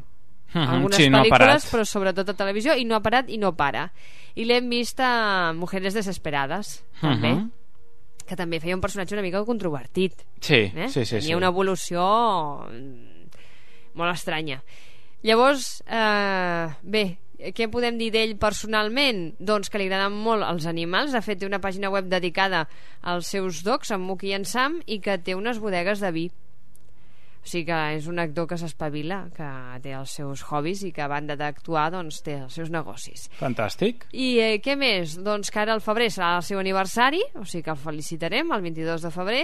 Mhm, Algunes sí, no ha pel·lícules, parat. però sobretot a televisió, i no ha parat i no para. I l'hem vist a Mujeres Desesperades, també, Mhm. que també feia un personatge una mica controvertit. Sí, eh? sí, sí, Tenia sí. una evolució mm, molt estranya. Llavors, eh, bé, què podem dir d'ell personalment? Doncs que li agraden molt els animals. De fet, té una pàgina web dedicada als seus dogs, en Mookie i en Sam, i que té unes bodegues de vi. O sigui que és un actor que s'espavila, que té els seus hobbies i que a banda d'actuar doncs té els seus negocis. Fantàstic. I eh, què més? Doncs que ara al febrer serà el seu aniversari, o sigui que el felicitarem el vint-i-dos de febrer,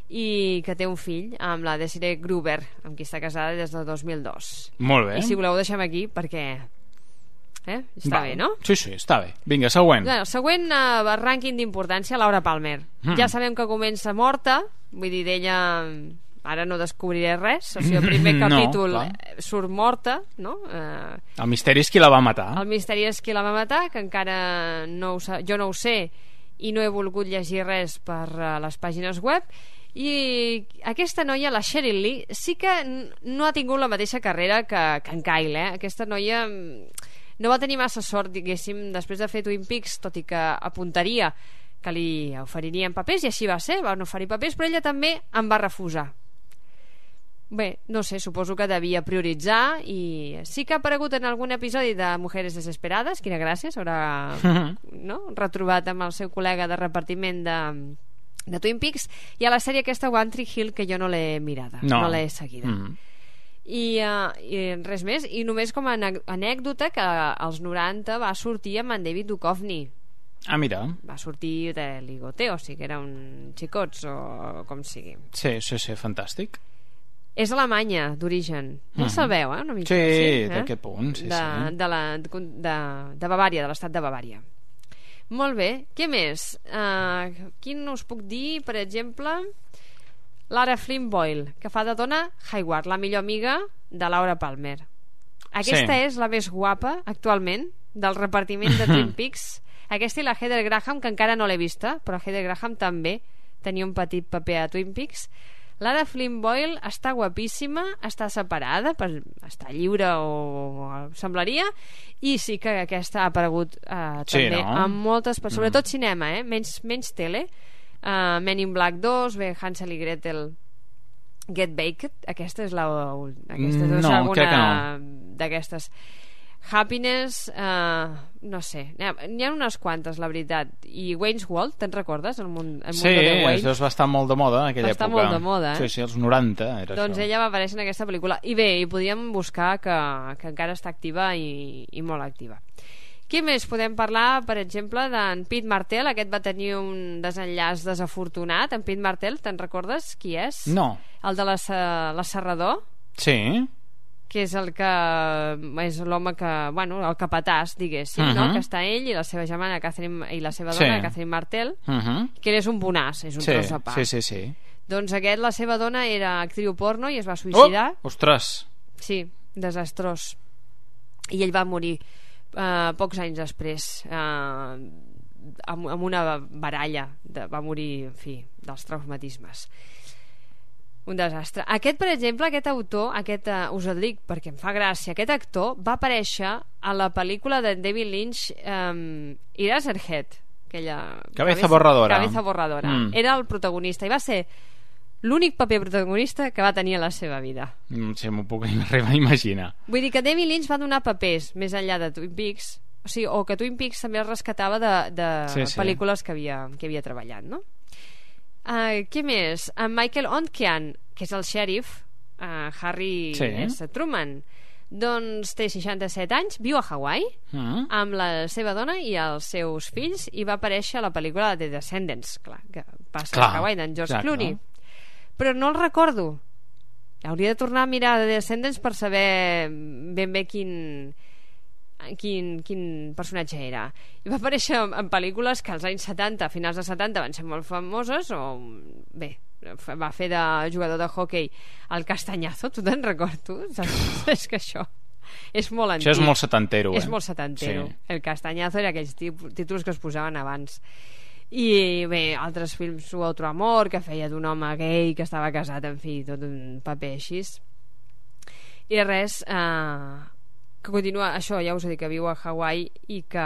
i que té un fill amb la Desiree Gruber, amb qui està casada des del dos mil dos. Molt bé. I si voleu ho deixem aquí perquè eh? està Va. bé, no? Sí, sí, està bé. Vinga, següent. Bé, el següent eh, rànquing d'importància, Laura Palmer. Mm. Ja sabem que comença morta, vull dir, d'ella ara no descobriré res, o sigui, el primer No, capítol clar. eh, surt morta, no? Eh, El misteri és qui la va matar. el misteri és qui la va matar, que encara no ho sa... jo no ho sé i no he volgut llegir res per uh, les pàgines web. I aquesta noia, la Sheryl Lee, sí que n- no ha tingut la mateixa carrera que, que en Kyle, eh? Aquesta noia mm, no va tenir massa sort, diguéssim, després de fer Twin Peaks, tot i que apuntaria que li oferirien papers, i així va ser, van oferir papers, però ella també en va refusar. Bé, no sé, suposo que devia prioritzar, i sí que ha aparegut en algun episodi de Mujeres Desesperades, quina gràcia, s'haurà no? retrobat amb el seu col·lega de repartiment de, de Twin Peaks, i a la sèrie aquesta One Tree Hill, que jo no l'he mirada, no, No. no l'he seguida. Mm. I, uh, I res més, i només com a ane- anècdota que als noranta va sortir amb en David Duchovny. Ah, mira. Va sortir de ligoteo, o sigui que era un xicots o com sigui. Sí, sí, sí, fantàstic. És alemanya, d'origen. Ja Mhm. sabeu, eh? Una mica, Sí, eh? d'aquest punt, sí, de, sí. De, la, de, de Bavària, de l'estat de Bavària. Molt bé. Què més? Uh, quin us puc dir, per exemple... Lara Flynn Boyle, que fa de dona Hayward, la millor amiga de Laura Palmer. Aquesta Sí. és la més guapa, actualment, del repartiment de Twin Peaks. Aquesta i la Heather Graham, que encara no l'he vista, però Heather Graham també tenia un petit paper a Twin Peaks. Lara Flynn Boyle està guapíssima, està separada, per, està lliure o, o semblaria, i sí que aquesta ha aparegut eh, Sí, també no? en moltes, mm. sobretot cinema, eh? menys, menys tele. Uh, Men in Black dos, bé, Hansel i Gretel, Get Baked, aquesta és la aquesta és la No, segona crec que no. d'aquestes. Happiness, uh, no sé, n'hi ha unes quantes, la veritat. I Wayne's World, te'n recordes? El món, el Sí, mundo de Wayne? això va estar molt de moda en aquella Va estar època. molt de moda, eh? Sí, sí, els noranta era Doncs això. ella va aparèixer en aquesta pel·lícula. I bé, i podíem buscar que, que encara està activa i, i molt activa. Què més podem parlar, per exemple, d'en Pete Martell? Aquest va tenir un desenllaç desafortunat. En Pete Martell, te'n recordes qui és? No. El de l'Asserrador, Sí. que és el que és l'home que, bueno, el capatàs, diguéssim, Uh-huh. no? Que està ell i la seva germana Catherine, i la seva dona, Sí. Catherine Martell, Uh-huh. que ell és un bonàs, és un Sí, tros de pa. sí, sí, sí. Doncs aquest, la seva dona era actriu porno i es va suïcidar. Oh, ostres. Sí, desastrós. I ell va morir uh, pocs anys després, uh, amb, amb una baralla. De, va morir, en fi, dels traumatismes. Un desastre. Aquest, per exemple, aquest autor, aquest, uh, us el dic perquè em fa gràcia, aquest actor va aparèixer a la pel·lícula de David Lynch, um, Eraserhead, aquella... Cabeza borradora. Cabeza borradora. Mm. Era el protagonista i va ser l'únic paper protagonista que va tenir a la seva vida. No sé, m'ho puc arribar a imaginar. Vull dir que David Lynch va donar papers més enllà de Twin Peaks, o sigui, o que Twin Peaks també es rescatava de, de sí, sí. pel·lícules que havia, que havia treballat, no? Uh, què més? En Michael Ontkean, que és el xèrif, uh, Harry sí. S. Truman, doncs té seixanta-set anys, viu a Hawaii mm. amb la seva dona i els seus fills, i va aparèixer a la pel·lícula de The Descendants, clar, que passa clar, a Hawaii, d'en George clar, Clooney clar. Però no el recordo. Hauria de tornar a mirar The Descendants per saber ben bé quin quin, quin personatge era. I va aparèixer en, en pel·lícules que als anys setanta, a finals de setanta, van ser molt famoses, o bé, va fer de jugador de hockey el Castañazo, tu te'n recordes tu? És que això és molt antic. Això és molt setantero, és eh? molt setantero. Sí. El Castañazo era aquells títols que es posaven abans. I bé, altres films, Su otro amor, que feia d'un home gay que estava casat, en fi, tot un paper així. I res, eh, que continua, això ja us he dit, que viu a Hawaii i que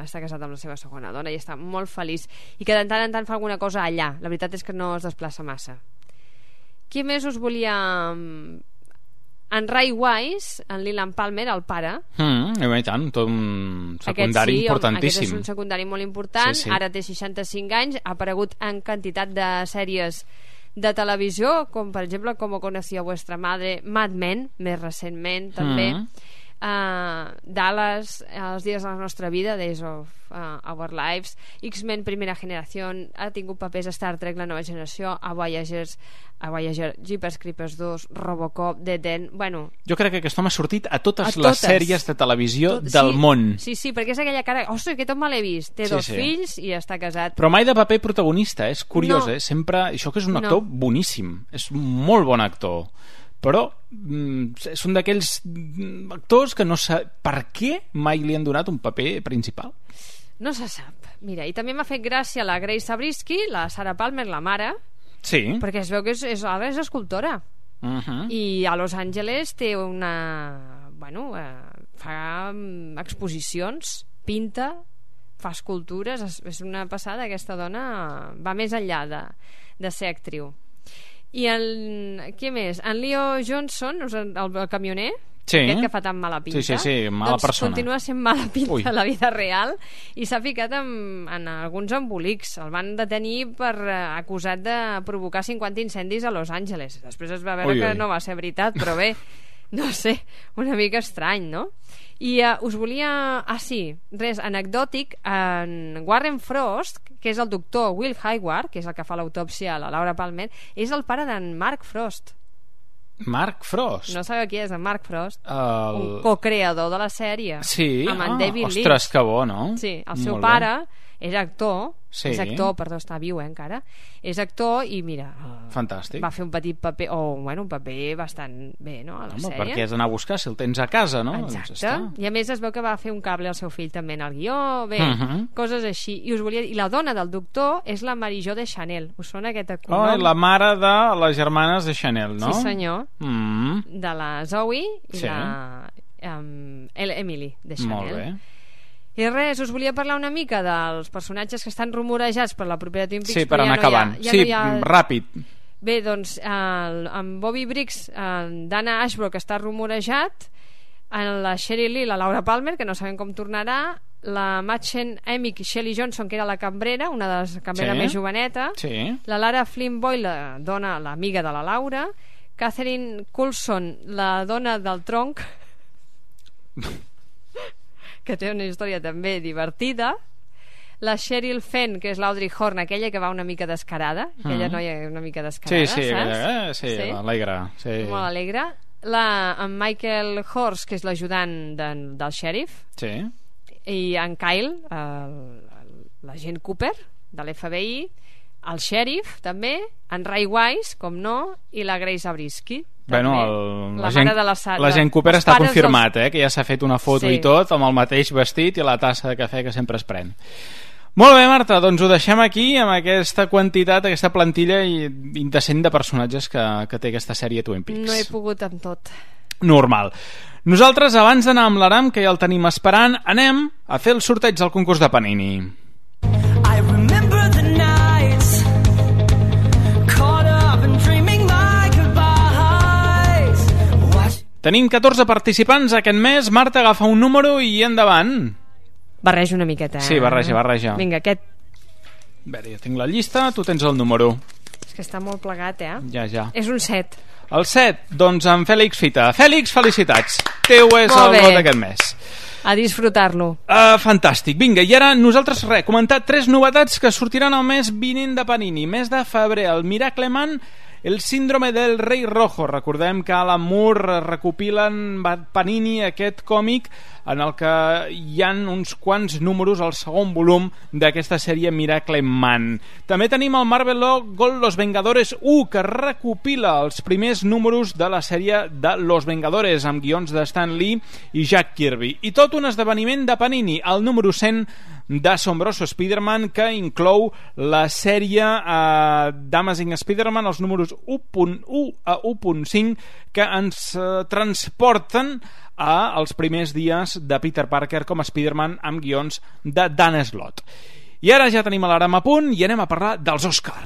està casat amb la seva segona dona i està molt feliç, i que de tant en tant fa alguna cosa allà. La veritat és que no es desplaça massa. Qui més us volia... En Ray Wise, en Leland Palmer, el pare, mm, i tant, tot un secundari sí, importantíssim. Aquest és un secundari molt important, sí, sí. Ara té seixanta-cinc anys, ha aparegut en quantitat de sèries de televisió, com per exemple Com conocía vuestra madre, Mad Men, més recentment també, mm. uh, Dallas, Els dies de la nostra vida, Days of uh, Our Lives, X-Men Primera Generació, ha tingut papers a Star Trek La Nova Generació, a Voyagers, a Voyager, Jeepers Creepers dos, Robocop, The Den, bueno... Jo crec que aquest home ha sortit a totes, a les totes. sèries de televisió Tot, del sí, món. Sí, sí, perquè és aquella cara... Ostres, que tot me l'he vist. Té sí, dos sí. fills i està casat. Però mai de paper protagonista, és curiós, no. eh? Sempre... Això que és un actor no. boníssim, és un molt bon actor. Però mm, és un d'aquells actors que no sap... Per què mai li han donat un paper principal? No se sap. Mira, i també m'ha fet gràcia la Grace Zabriskie, la Sarah Palmer, la mare, sí. perquè es veu que és, és, ara és escultora. Uh-huh. I a Los Angeles té una... Bueno, eh, fa exposicions, pinta, fa escultures, és, és una passada. Aquesta dona va més enllà de, de ser actriu. I el... Què més? En Leo Johnson, el, el camioner, sí. aquest que fa tan mala pinta, sí, sí, sí, mala doncs persona. Continua sent mala pinta Ui. a la vida real i s'ha ficat en, en alguns embolics. El van detenir per uh, acusat de provocar cinquanta incendis a Los Angeles. Després es va veure ui, que ui. no va ser veritat, però bé, no sé, una mica estrany, no? I uh, us volia... Ah, sí, res, anecdòtic, en Warren Frost, que és el doctor Will Hayward, que és el que fa l'autòpsia a la Laura Palmer, és el pare d'en Mark Frost. Mark Frost? No sabeu qui és en Mark Frost? El... Un co-creador de la sèrie. Sí? Amb en ah, David Lynch. Ostres, que bo, no? Sí, el Molt seu bé. pare és actor, sí. és actor, perdó, està viu eh, encara, és actor i mira, fantàstic. Va fer un petit paper, o bueno, un paper bastant bé, no?, a la Home, sèrie. perquè has d'anar a buscar si el tens a casa, no? Exacte, doncs i a més es veu que va fer un cable al seu fill també en el guió, bé, uh Mhm. -huh. coses així. I us volia dir, i la dona del doctor és la Marie-Jo de Chanel. Us sona aquest cognom? Oh, la mare de les germanes de Chanel, no? Sí, senyor. Mm. De la Zoe i sí. la um, Emily de Chanel. Molt bé. I res, us volia parlar una mica dels personatges que estan rumorejats per la propera Twin Peaks. Sí, per anar ja acabant. No ha, ja sí, no ha... ràpid. Bé, doncs, el, en Bobby Briggs, en Dana Ashbrook està rumorejat, en la Sheryl Lee, la Laura Palmer, que no sabem com tornarà, la Machen Emick, Shelley Johnson, que era la cambrera, una de les cambreres sí. més joveneta, sí. la Lara Flynn Boyle, la dona, l'amiga de la Laura, Catherine Coulson, la dona del tronc, que té una història també divertida, la Cheryl Fenn, que és l'Audrey Horne, aquella que va una mica descarada, aquella mm. noia una mica descarada, sí, sí, saps? Eh, sí, sí, alegre, sí. Molt alegre. La, en Michael Horst, que és l'ajudant de, del xèrif, sí. i en Kyle, l'agent Cooper de l'F B I, el xèrif també, en Ray Wise, com no, i la Grace Zabriskie. Bueno, el, la, la, gent, la, la gent Cooper està confirmat, dels... eh, que ja s'ha fet una foto sí. i tot, amb el mateix vestit i la tassa de cafè que sempre es pren. Molt bé, Marta, doncs ho deixem aquí amb aquesta quantitat, aquesta plantilla indecent de personatges que, que té aquesta sèrie Twin Peaks. No he pogut amb tot. Normal. Nosaltres, abans d'anar amb l'Aram, que ja el tenim esperant, anem a fer el sorteig del concurs de Panini. I remember the nights caught up in dreams. Tenim catorze participants aquest mes. Marta, agafa un número i endavant. Barreja una miqueta. Sí, barreja, barreja. Vinga, aquest... A veure, ja tinc la llista, tu tens el número. És que està molt plegat, eh? Ja, ja. És un set. El set, doncs en Fèlix Fita. Fèlix, felicitats. Teu és molt el bé. vot d'aquest mes. A disfrutar-lo. Uh, fantàstic. Vinga, i ara nosaltres, res, comentar tres novetats que sortiran el mes vinent de Panini. Mes de febrer, el Miracle Man, el síndrome del rei rojo. Recordem que Alan Moore recopilen Panini aquest còmic en el que hi ha uns quants números al segon volum d'aquesta sèrie Miracle Man. També tenim el Marvel Gold Los Vengadores u, que recopila els primers números de la sèrie de Los Vengadores, amb guions de Stan Lee i Jack Kirby. I tot un esdeveniment de Panini, el número cent d'Assombroso Spider-Man, que inclou la sèrie eh, d'Amazing Spider-Man, els números u punt u a u punt cinc, que ens eh, transporten a els primers dies de Peter Parker com a Spider-Man amb guions de Dan Slott. I ara ja tenim l'alarma a punt i anem a parlar dels Òscar.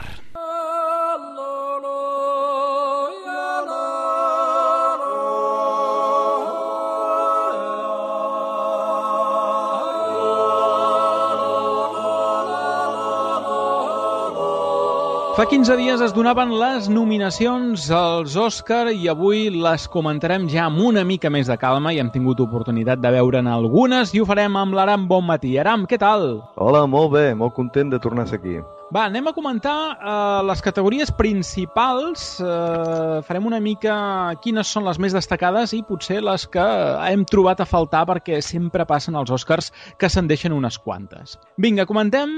Fa quinze dies es donaven les nominacions als Òscar i avui les comentarem ja amb una mica més de calma i hem tingut oportunitat de veure'n algunes i ho farem amb l'Aram Bonmatí. Aram, què tal? Hola, molt bé, molt content de tornar a ser aquí. Va, anem a comentar eh, les categories principals, eh, farem una mica quines són les més destacades i potser les que hem trobat a faltar perquè sempre passen als Oscars que se'n deixen unes quantes. Vinga, comentem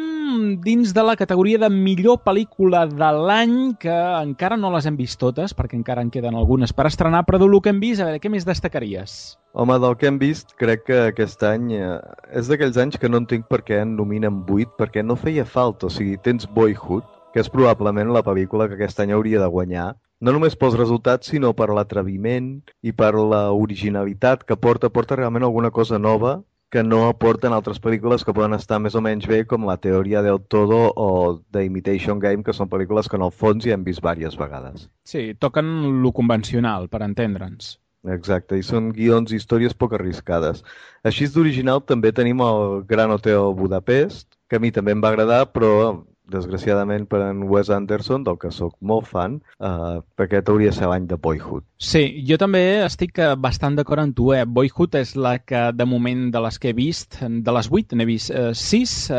dins de la categoria de millor pel·lícula de l'any, que encara no les hem vist totes perquè encara en queden algunes per estrenar, però del que hem vist, a veure, què més destacaries? Home, del que hem vist, crec que aquest any eh, és d'aquells anys que no entenc per què en nominen vuit, perquè no feia falta. O sigui, tens Boyhood, que és probablement la pel·lícula que aquest any hauria de guanyar, no només pels resultats, sinó per l'atreviment i per la originalitat que porta, porta realment alguna cosa nova que no aporten altres pel·lícules que poden estar més o menys bé, com La teoria del todo o The Imitation Game, que són pel·lícules que en el fons ja hem vist diverses vegades. Sí, toquen lo convencional, per entendre'ns. Exacte, i són guions i històries poc arriscades. Així d'original també tenim el Gran Hotel Budapest, que a mi també em va agradar, però desgraciadament per en Wes Anderson, del que sóc molt fan, eh, perquè hauria de ser l'any de Boyhood. Sí, jo també estic bastant d'acord amb tu. Eh? Boyhood és la que, de moment, de les que he vist, de les vuit n'he vist eh, sis, eh,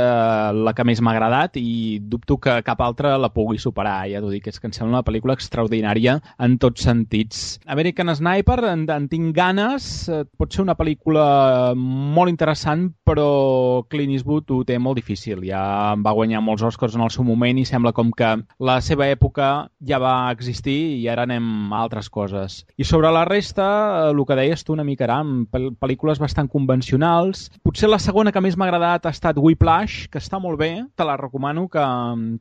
la que més m'ha agradat i dubto que cap altra la pugui superar. Ja t'ho dic, és que em sembla una pel·lícula extraordinària en tots sentits. American Sniper, en, en tinc ganes, eh, pot ser una pel·lícula molt interessant, però Clint Eastwood ho té molt difícil. Ja va guanyar molts Oscars en el seu moment i sembla com que la seva època ja va existir i ara anem a altres coses. I sobre la resta, el que deies tu una mica, Aram, pel·lícules bastant convencionals. Potser la segona que més m'ha agradat ha estat Whiplash, que està molt bé, te la recomano que,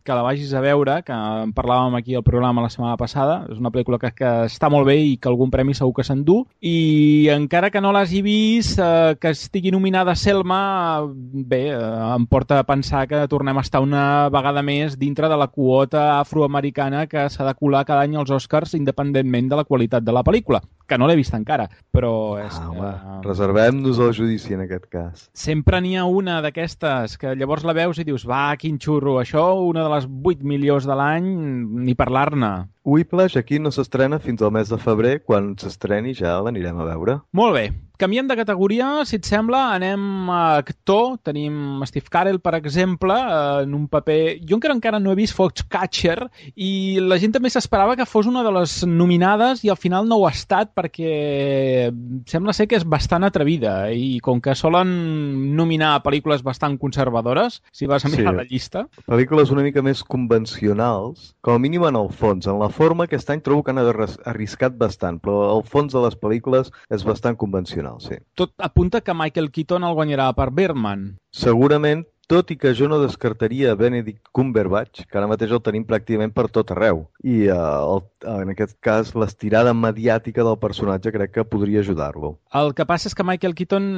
que la vagis a veure, que en parlàvem aquí al programa la setmana passada. És una pel·lícula que, que està molt bé i que algun premi segur que s'endú. I encara que no l'hagi vist, eh, que estigui nominada Selma, bé, eh, em porta a pensar que tornem a estar una vegada més dintre de la quota afroamericana que s'ha de colar cada any als Oscars independentment de la qualitat de la pel·lícula, que no l'he vist encara, però és ah, que... Home, reservem-nos el judici en aquest cas. Sempre n'hi ha una d'aquestes que llavors la veus i dius, va, quin xurro, això, una de les vuit millors de l'any, ni parlar-ne. Whiplash aquí no s'estrena fins al mes de febrer, quan s'estreni ja l'anirem a veure. Molt bé. Canviem de categoria, si et sembla, anem a actor. Tenim Steve Carell, per exemple, en un paper... Jo encara encara no he vist Foxcatcher i la gent també s'esperava que fos una de les nominades i al final no ho ha estat perquè sembla ser que és bastant atrevida i com que solen nominar pel·lícules bastant conservadores, si vas a mirar sí. la llista... Pel·lícules una mica més convencionals, com a mínim en el fons. En la forma aquest any trobo que han arriscat bastant, però el fons de les pel·lícules és bastant convencional. Sí. Tot apunta que Michael Keaton el guanyarà per Birdman. Segurament tot i que jo no descartaria Benedict Cumberbatch, que ara mateix el tenim pràcticament per tot arreu. I uh, el, en aquest cas l'estirada mediàtica del personatge crec que podria ajudar-lo. El que passa és que Michael Keaton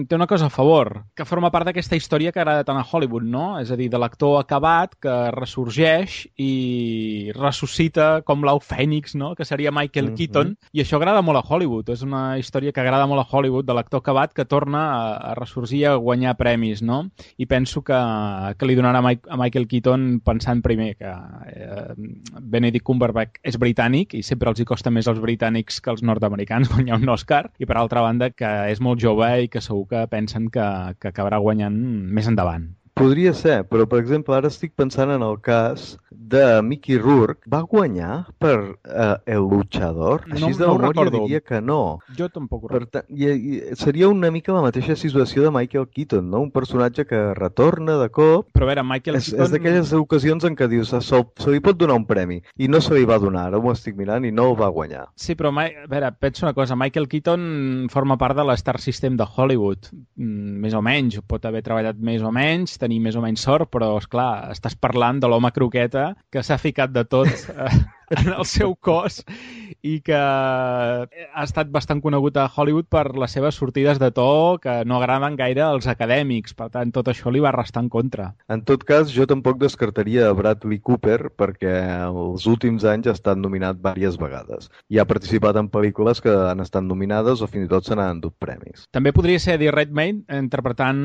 té una cosa a favor, que forma part d'aquesta història que agrada tant a Hollywood, no? És a dir, de l'actor acabat que ressorgeix i ressuscita com l'au fènix, no? Que seria Michael mm-hmm. Keaton, i això agrada molt a Hollywood. És una història que agrada molt a Hollywood, de l'actor acabat que torna a, a ressorgir, a guanyar premis, no? I penso que, que li donarà a, Mike, a Michael Keaton pensant primer que eh, Benedict Cumberbatch és britànic i sempre els hi costa més als britànics que als nord-americans guanyar un Oscar, i per altra banda que és molt jove i que segur que pensen que, que acabarà guanyant més endavant. Podria ser, però per exemple ara estic pensant en el cas de Mickey Rourke. Va guanyar per uh, El Luchador? Així no, de no memòria diria que no. Jo tampoc ho recordo. I, i seria una mica la mateixa situació de Michael Keaton, no? Un personatge que retorna de cop. Però a veure, Michael és, Keaton... És d'aquelles ocasions en què dius se, se li pot donar un premi, i no se li va donar, ara m'ho estic mirant, i no el va guanyar. Sí, però a veure, penso una cosa, Michael Keaton forma part de l'Star System de Hollywood, mm, més o menys, pot haver treballat més o menys, tenir més o menys sort, però, esclar, estàs parlant de l'home croqueta que s'ha ficat de tot eh, en el seu cos i que ha estat bastant conegut a Hollywood per les seves sortides de to que no agraden gaire als acadèmics. Per tant, tot això li va restar en contra. En tot cas, jo tampoc descartaria Bradley Cooper perquè els últims anys ha estat nominat diverses vegades. I ha participat en pel·lícules que han estat nominades o fins i tot se n'han endut premis. També podria ser Eddie Redmayne interpretant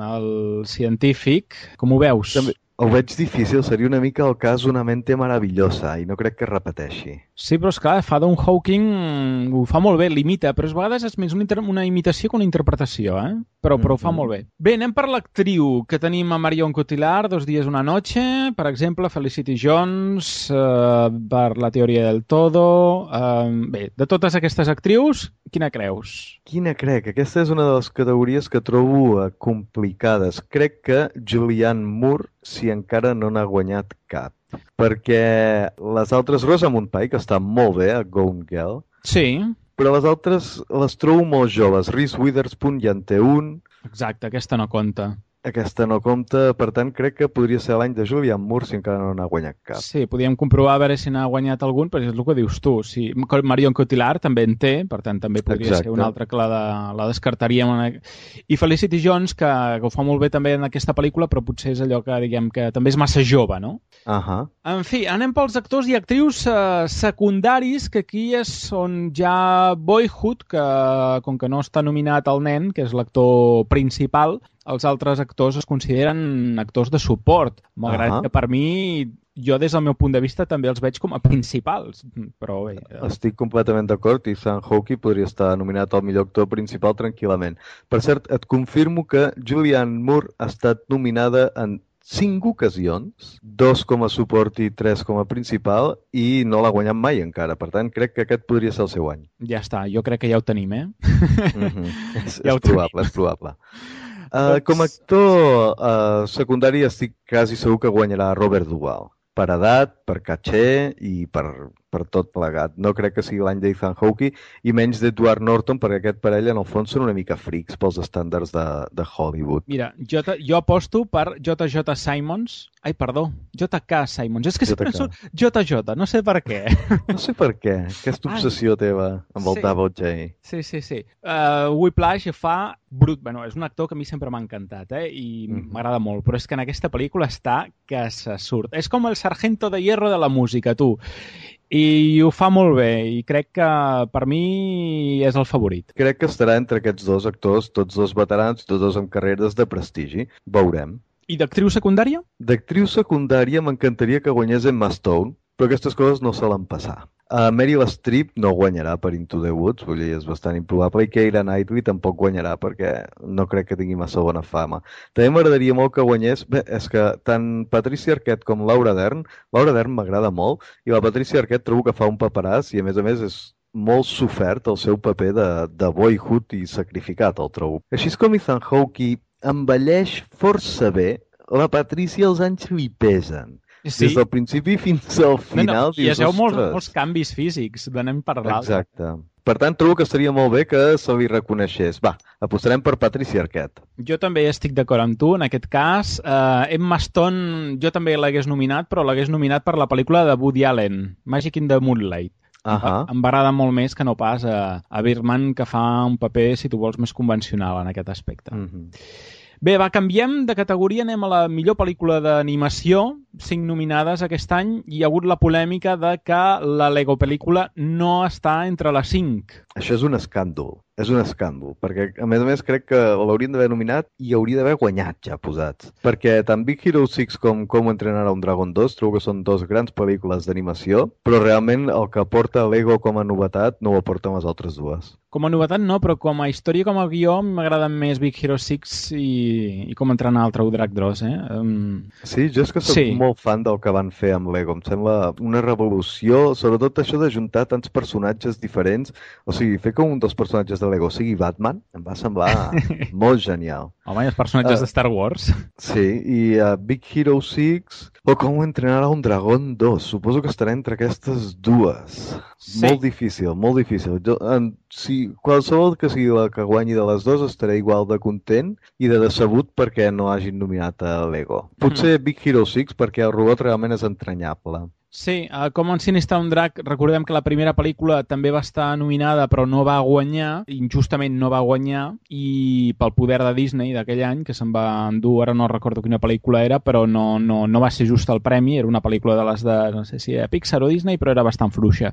el científic. Com ho veus? També ho veig difícil, seria una mica el cas Una mente maravillosa i no crec que es repeteixi. Sí, però esclar, fa Don Hawking, ho fa molt bé, l'imita, però a vegades és més una, inter una imitació que una interpretació, eh? Però, però ho fa molt bé. Bé, anem per l'actriu, que tenim a Marion Cotillard, Dos días una noche, per exemple, Felicity Jones, eh, per La teoria del todo... Eh, bé, de totes aquestes actrius, quina creus? Quina crec? Aquesta és una de les categories que trobo eh, complicades. Crec que Julianne Moore, si encara no n'ha guanyat cap. Perquè les altres, Rosamund Pike, està molt bé a Gone Girl. Sí. Però les altres les trobo molt joves. Reese Witherspoon ja en té un. Exacte, aquesta no compta. Aquesta no compta, per tant crec que podria ser l'any de Julianne Moore si encara no n'ha guanyat cap. Sí, podríem comprovar a veure si n'ha guanyat algun, però és el que dius tu. Sí, Marion Cotillard també en té, per tant també podria Exacte. ser una altra que la, de, la descartaríem. I Felicity Jones, que, que ho fa molt bé també en aquesta pel·lícula, però potser és allò que diguem que també és massa jove, no? Uh -huh. En fi, anem pels actors i actrius eh, secundaris, que aquí és on ja Boyhood, que com que no està nominat el nen, que és l'actor principal, els altres actors es consideren actors de suport, malgrat uh-huh. que per mi, jo des del meu punt de vista també els veig com a principals, però bé... Estic completament d'acord, Ethan Hawke podria estar nominat al millor actor principal tranquil·lament. Per cert, et confirmo que Julianne Moore ha estat nominada en cinc ocasions, dos com a suport i tres com a principal, i no l'ha guanyat mai encara. Per tant, crec que aquest podria ser el seu any. Ja està, jo crec que ja ho tenim, eh? Mm-hmm. és, ja és probable, és probable. Uh, com a actor uh, secundari estic quasi segur que guanyarà Robert Duvall. Per edat, per caché i per, per tot plegat. No crec que sigui l'any d'Ethan Hawke i menys d'Edward Norton, perquè aquest parell en el fons són una mica frics pels estàndards de, de Hollywood. Mira, jo, jo aposto per J J Simons. Ai, perdó, J K Simons. És que sempre surt J J, no sé per què. No sé per què, aquesta obsessió Ai. teva amb el sí. Double J. Sí, sí, sí. Uh, Whiplash fa brut. Bueno, és un actor que a mi sempre m'ha encantat, eh? I mm-hmm. m'agrada molt, però és que en aquesta pel·lícula està que se surt. És com el sargento de hierro de la música, tu. I ho fa molt bé, i crec que per mi és el favorit. Crec que estarà entre aquests dos actors, tots dos veterans, tots dos amb carreres de prestigi. Veurem. I d'actriu secundària? D'actriu secundària m'encantaria que guanyés Emma Stone, però aquestes coses no solen passar. Uh, Meryl Streep no guanyarà per Into the Woods, vull dir, és bastant improbable, i Keira Knightley tampoc guanyarà perquè no crec que tingui massa bona fama. També m'agradaria molt que guanyés, bé, és que tant Patricia Arquette com Laura Dern, Laura Dern m'agrada molt, i la Patricia Arquette trobo que fa un paperàs i a més a més és molt sofert el seu paper de, de Boyhood i sacrificat, el trobo. Així com Ethan Hawke envelleix força bé, la Patricia els anys li pesen. Sí. Des del principi fins al final. No, no. I es veu molts, molts canvis físics, d'anem per l'altre. Exacte. Per tant, trobo que estaria molt bé que se li reconeixés. Va, apostarem per Patricia Arquette. Jo també estic d'acord amb tu, en aquest cas. Uh, Emma Stone, jo també l'hagués nominat, però l'hagués nominat per la pel·lícula de Woody Allen, Magic in the Moonlight. Uh-huh. Em va agradar molt més que no pas a, a Birdman, que fa un paper, si tu vols, més convencional en aquest aspecte. Uh-huh. Bé, va, canviem de categoria, anem a la millor pel·lícula d'animació, cinc nominades aquest any, i hi ha hagut la polèmica de que la Lego pel·lícula no està entre les cinc. Això és un escàndol, és un escàndol, perquè a més a més crec que l'haurien d'haver nominat i hauria d'haver guanyat ja posats. Perquè tant Big Hero sis com Com entrenar a un Dragon dos trobo que són dos grans pel·lícules d'animació, però realment el que aporta Lego com a novetat no ho aporten les altres dues. Com a novetat no, però com a història, com a guió, m'agraden més Big Hero sis i, i Com entrenar al Trau Drac Dross, eh? Um... Sí, jo és que soc sí. molt fan del que van fer amb Lego. Em sembla una revolució, sobretot això de juntar tants personatges diferents. O sigui, fer que un dels personatges de Lego sigui Batman em va semblar molt genial. Home, i els personatges uh, de Star Wars. Sí, i uh, Big Hero sis o Com entrenar a un Dragon dos. Suposo que estarà entre aquestes dues. Sí. Molt difícil, molt difícil. Jo, en, si qualsevol que sigui la que guanyi de les dues estaré igual de content i de decebut perquè no hagin nominat a Lego. Potser Big Hero sis perquè el robot realment és entranyable. Sí, uh, Com ensinistrar un drac, recordem que la primera pel·lícula també va estar nominada però no va guanyar, injustament no va guanyar, i pel poder de Disney d'aquell any, que se'n va endur, ara no recordo quina pel·lícula era, però no, no, no va ser just el premi, era una pel·lícula de les de, no sé si era Pixar o Disney, però era bastant fluixa.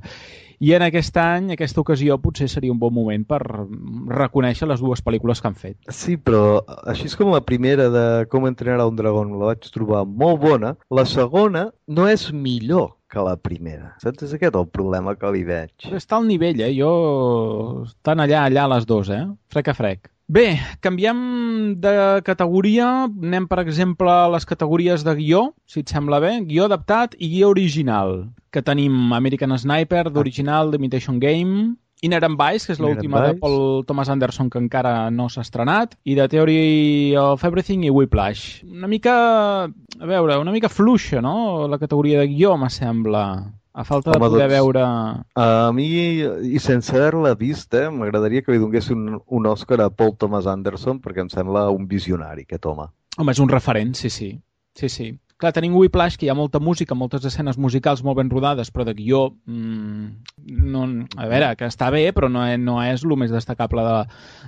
I en aquest any, aquesta ocasió, potser seria un bon moment per reconèixer les dues pel·lícules que han fet. Sí, però així és com la primera de Com entrenar a un dragón, la vaig trobar molt bona. La segona no és millor que la primera. Saps? És aquest el problema que li veig. Està al nivell, eh? Jo... Estan allà, allà les dues, eh? Frec a frec. Bé, canviem de categoria. Anem, per exemple, a les categories de guió, si et sembla bé. Guió adaptat i guió original. Que tenim American Sniper, d'original, d'Imitation Game, Inherent Vice, que és l'última de Paul Thomas Anderson, que encara no s'ha estrenat, i The Theory of Everything i Whiplash. Una mica, a veure, una mica fluixa, no?, la categoria de guió, me sembla. A falta de Home, poder doncs, veure... A mi, i sense haver-la vist, eh, m'agradaria que li donés un, un Òscar a Paul Thomas Anderson, perquè em sembla un visionari, aquest home. Home, és un referent, sí, sí. Sí, sí. Clar, tenim Whiplash, que hi ha molta música, moltes escenes musicals molt ben rodades, però de guió, mmm, no, a veure, que està bé, però no, no és el més destacable de,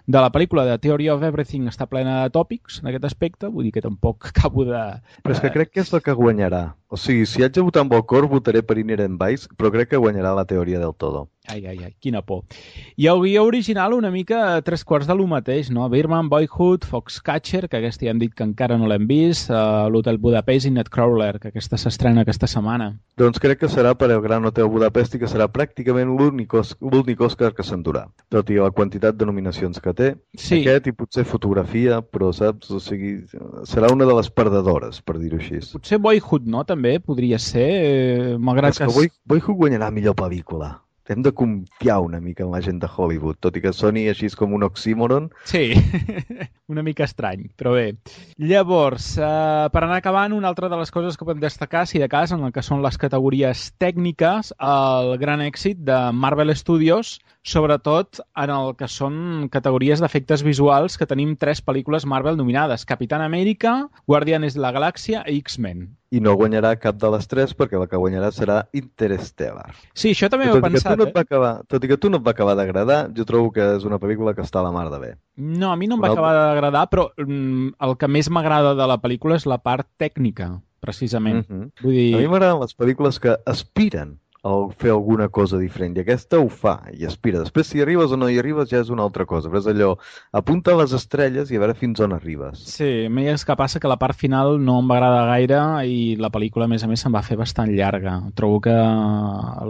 de la pel·lícula. The Theory of Everything està plena de tòpics en aquest aspecte, vull dir que tampoc acabo de... Però és que crec que és la que guanyarà. O sigui, si haig de votar amb el cor, votaré per Inherent Vice, però crec que guanyarà La Teoria del Todo. Ai, ai, ai, quina por. I el guió original una mica a tres quarts de lo mateix, no? Birdman, Boyhood, Foxcatcher, que aquesta ja hem dit que encara no l'hem vist, uh, l'Hotel Budapest i Nightcrawler, que aquesta s'estrena aquesta setmana. Doncs crec que serà per el Gran Hotel Budapest i que serà pràcticament l'únic Òscar que s'endurà, tot i la quantitat de nominacions que té. Sí. Aquest i potser fotografia, però saps, o sigui, serà una de les perdedores, per dir-ho així. Potser Boyhood, no?, també podria ser, eh, malgrat és que... que Boy, Boyhood guanyarà millor pel·lícula. Hem de confiar una mica en la gent de Hollywood, tot i que soni així com un oxímoron. Sí, una mica estrany, però bé. Llavors, eh, per anar acabant, una altra de les coses que podem destacar, si de cas, en el que són les categories tècniques, el gran èxit de Marvel Studios, sobretot en el que són categories d'efectes visuals, que tenim tres pel·lícules Marvel nominades: Capitán América, Guardianes de la Galàxia i X-Men. I no guanyarà cap de les tres perquè la que guanyarà serà Interstellar. Sí, això també ho he pensat. No eh? acabar, tot i que tu no et va acabar d'agradar, jo trobo que és una pel·lícula que està a la mar de bé. No, a mi no em va acabar d'agradar, però mm, el que més m'agrada de la pel·lícula és la part tècnica, precisament. Mm-hmm. Vull dir... A mi m'agraden les pel·lícules que aspiren a fer alguna cosa diferent, i aquesta ho fa, i aspira. Després, si arribes o no hi arribes, ja és una altra cosa, però és allò, apunta a les estrelles i a veure fins on arribes. Sí, a mi és que passa que la part final no em va agradar gaire i la pel·lícula, a més a més, se'n va fer bastant llarga. Trobo que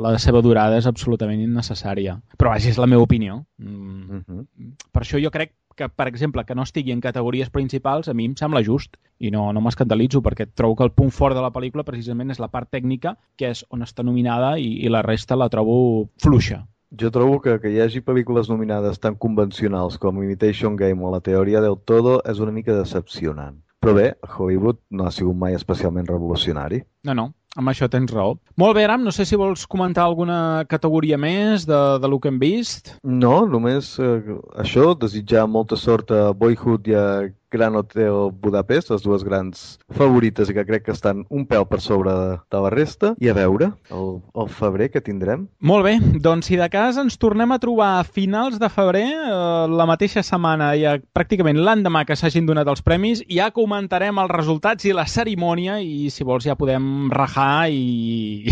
la seva durada és absolutament innecessària. Però vaja, és la meva opinió. Mm. Mm-hmm. Per això jo crec que, per exemple, que no estigui en categories principals, a mi em sembla just i no, no m'escandalitzo, perquè trobo que el punt fort de la pel·lícula precisament és la part tècnica, que és on està nominada, i, i la resta la trobo fluixa. Jo trobo que que hi hagi pel·lícules nominades tan convencionals com Imitation Game o La Teoria del Todo és una mica decepcionant. Però bé, Hollywood no ha sigut mai especialment revolucionari. No, no. amb això tens raó. Molt bé, Aram, no sé si vols comentar alguna categoria més de, de lo que hem vist. No, només eh, això, desitjar molta sort a Boyhood i a Gran Hotel Budapest, les dues grans favorites i que crec que estan un pèl per sobre de, de la resta, i a veure el, el febrer que tindrem. Molt bé, doncs si de cas ens tornem a trobar a finals de febrer, eh, la mateixa setmana, ja pràcticament l'endemà que s'hagin donat els premis, ja comentarem els resultats i la cerimònia, i si vols ja podem rajar i...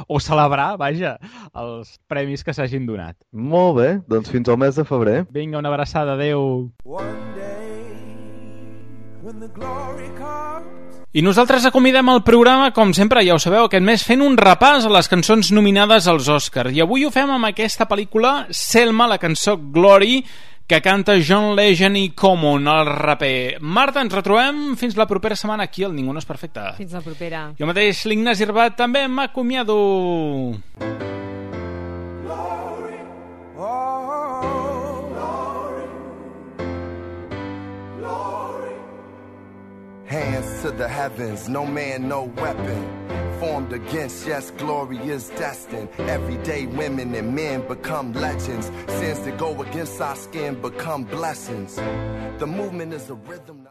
o celebrar, vaja, els premis que s'hagin donat. Molt bé, doncs fins al mes de febrer. Vinga, una abraçada, adeu. I nosaltres acomidem el programa, com sempre, ja ho sabeu, aquest mes fent un repàs a les cançons nominades als Oscars. I avui ho fem amb aquesta pel·lícula, Selma, la cançó Glory, que canta John Legend i Common, el raper. Marta, ens retrobem fins la propera setmana aquí al Ningú no és perfecte. Fins la propera. Jo mateix, l'Ignasi Herbat, també m'acomiado. Hands to the heavens, no man, no weapon formed against, yes, glory is destined. Everyday women and men become legends. Sins that go against our skin become blessings. The movement is a rhythm.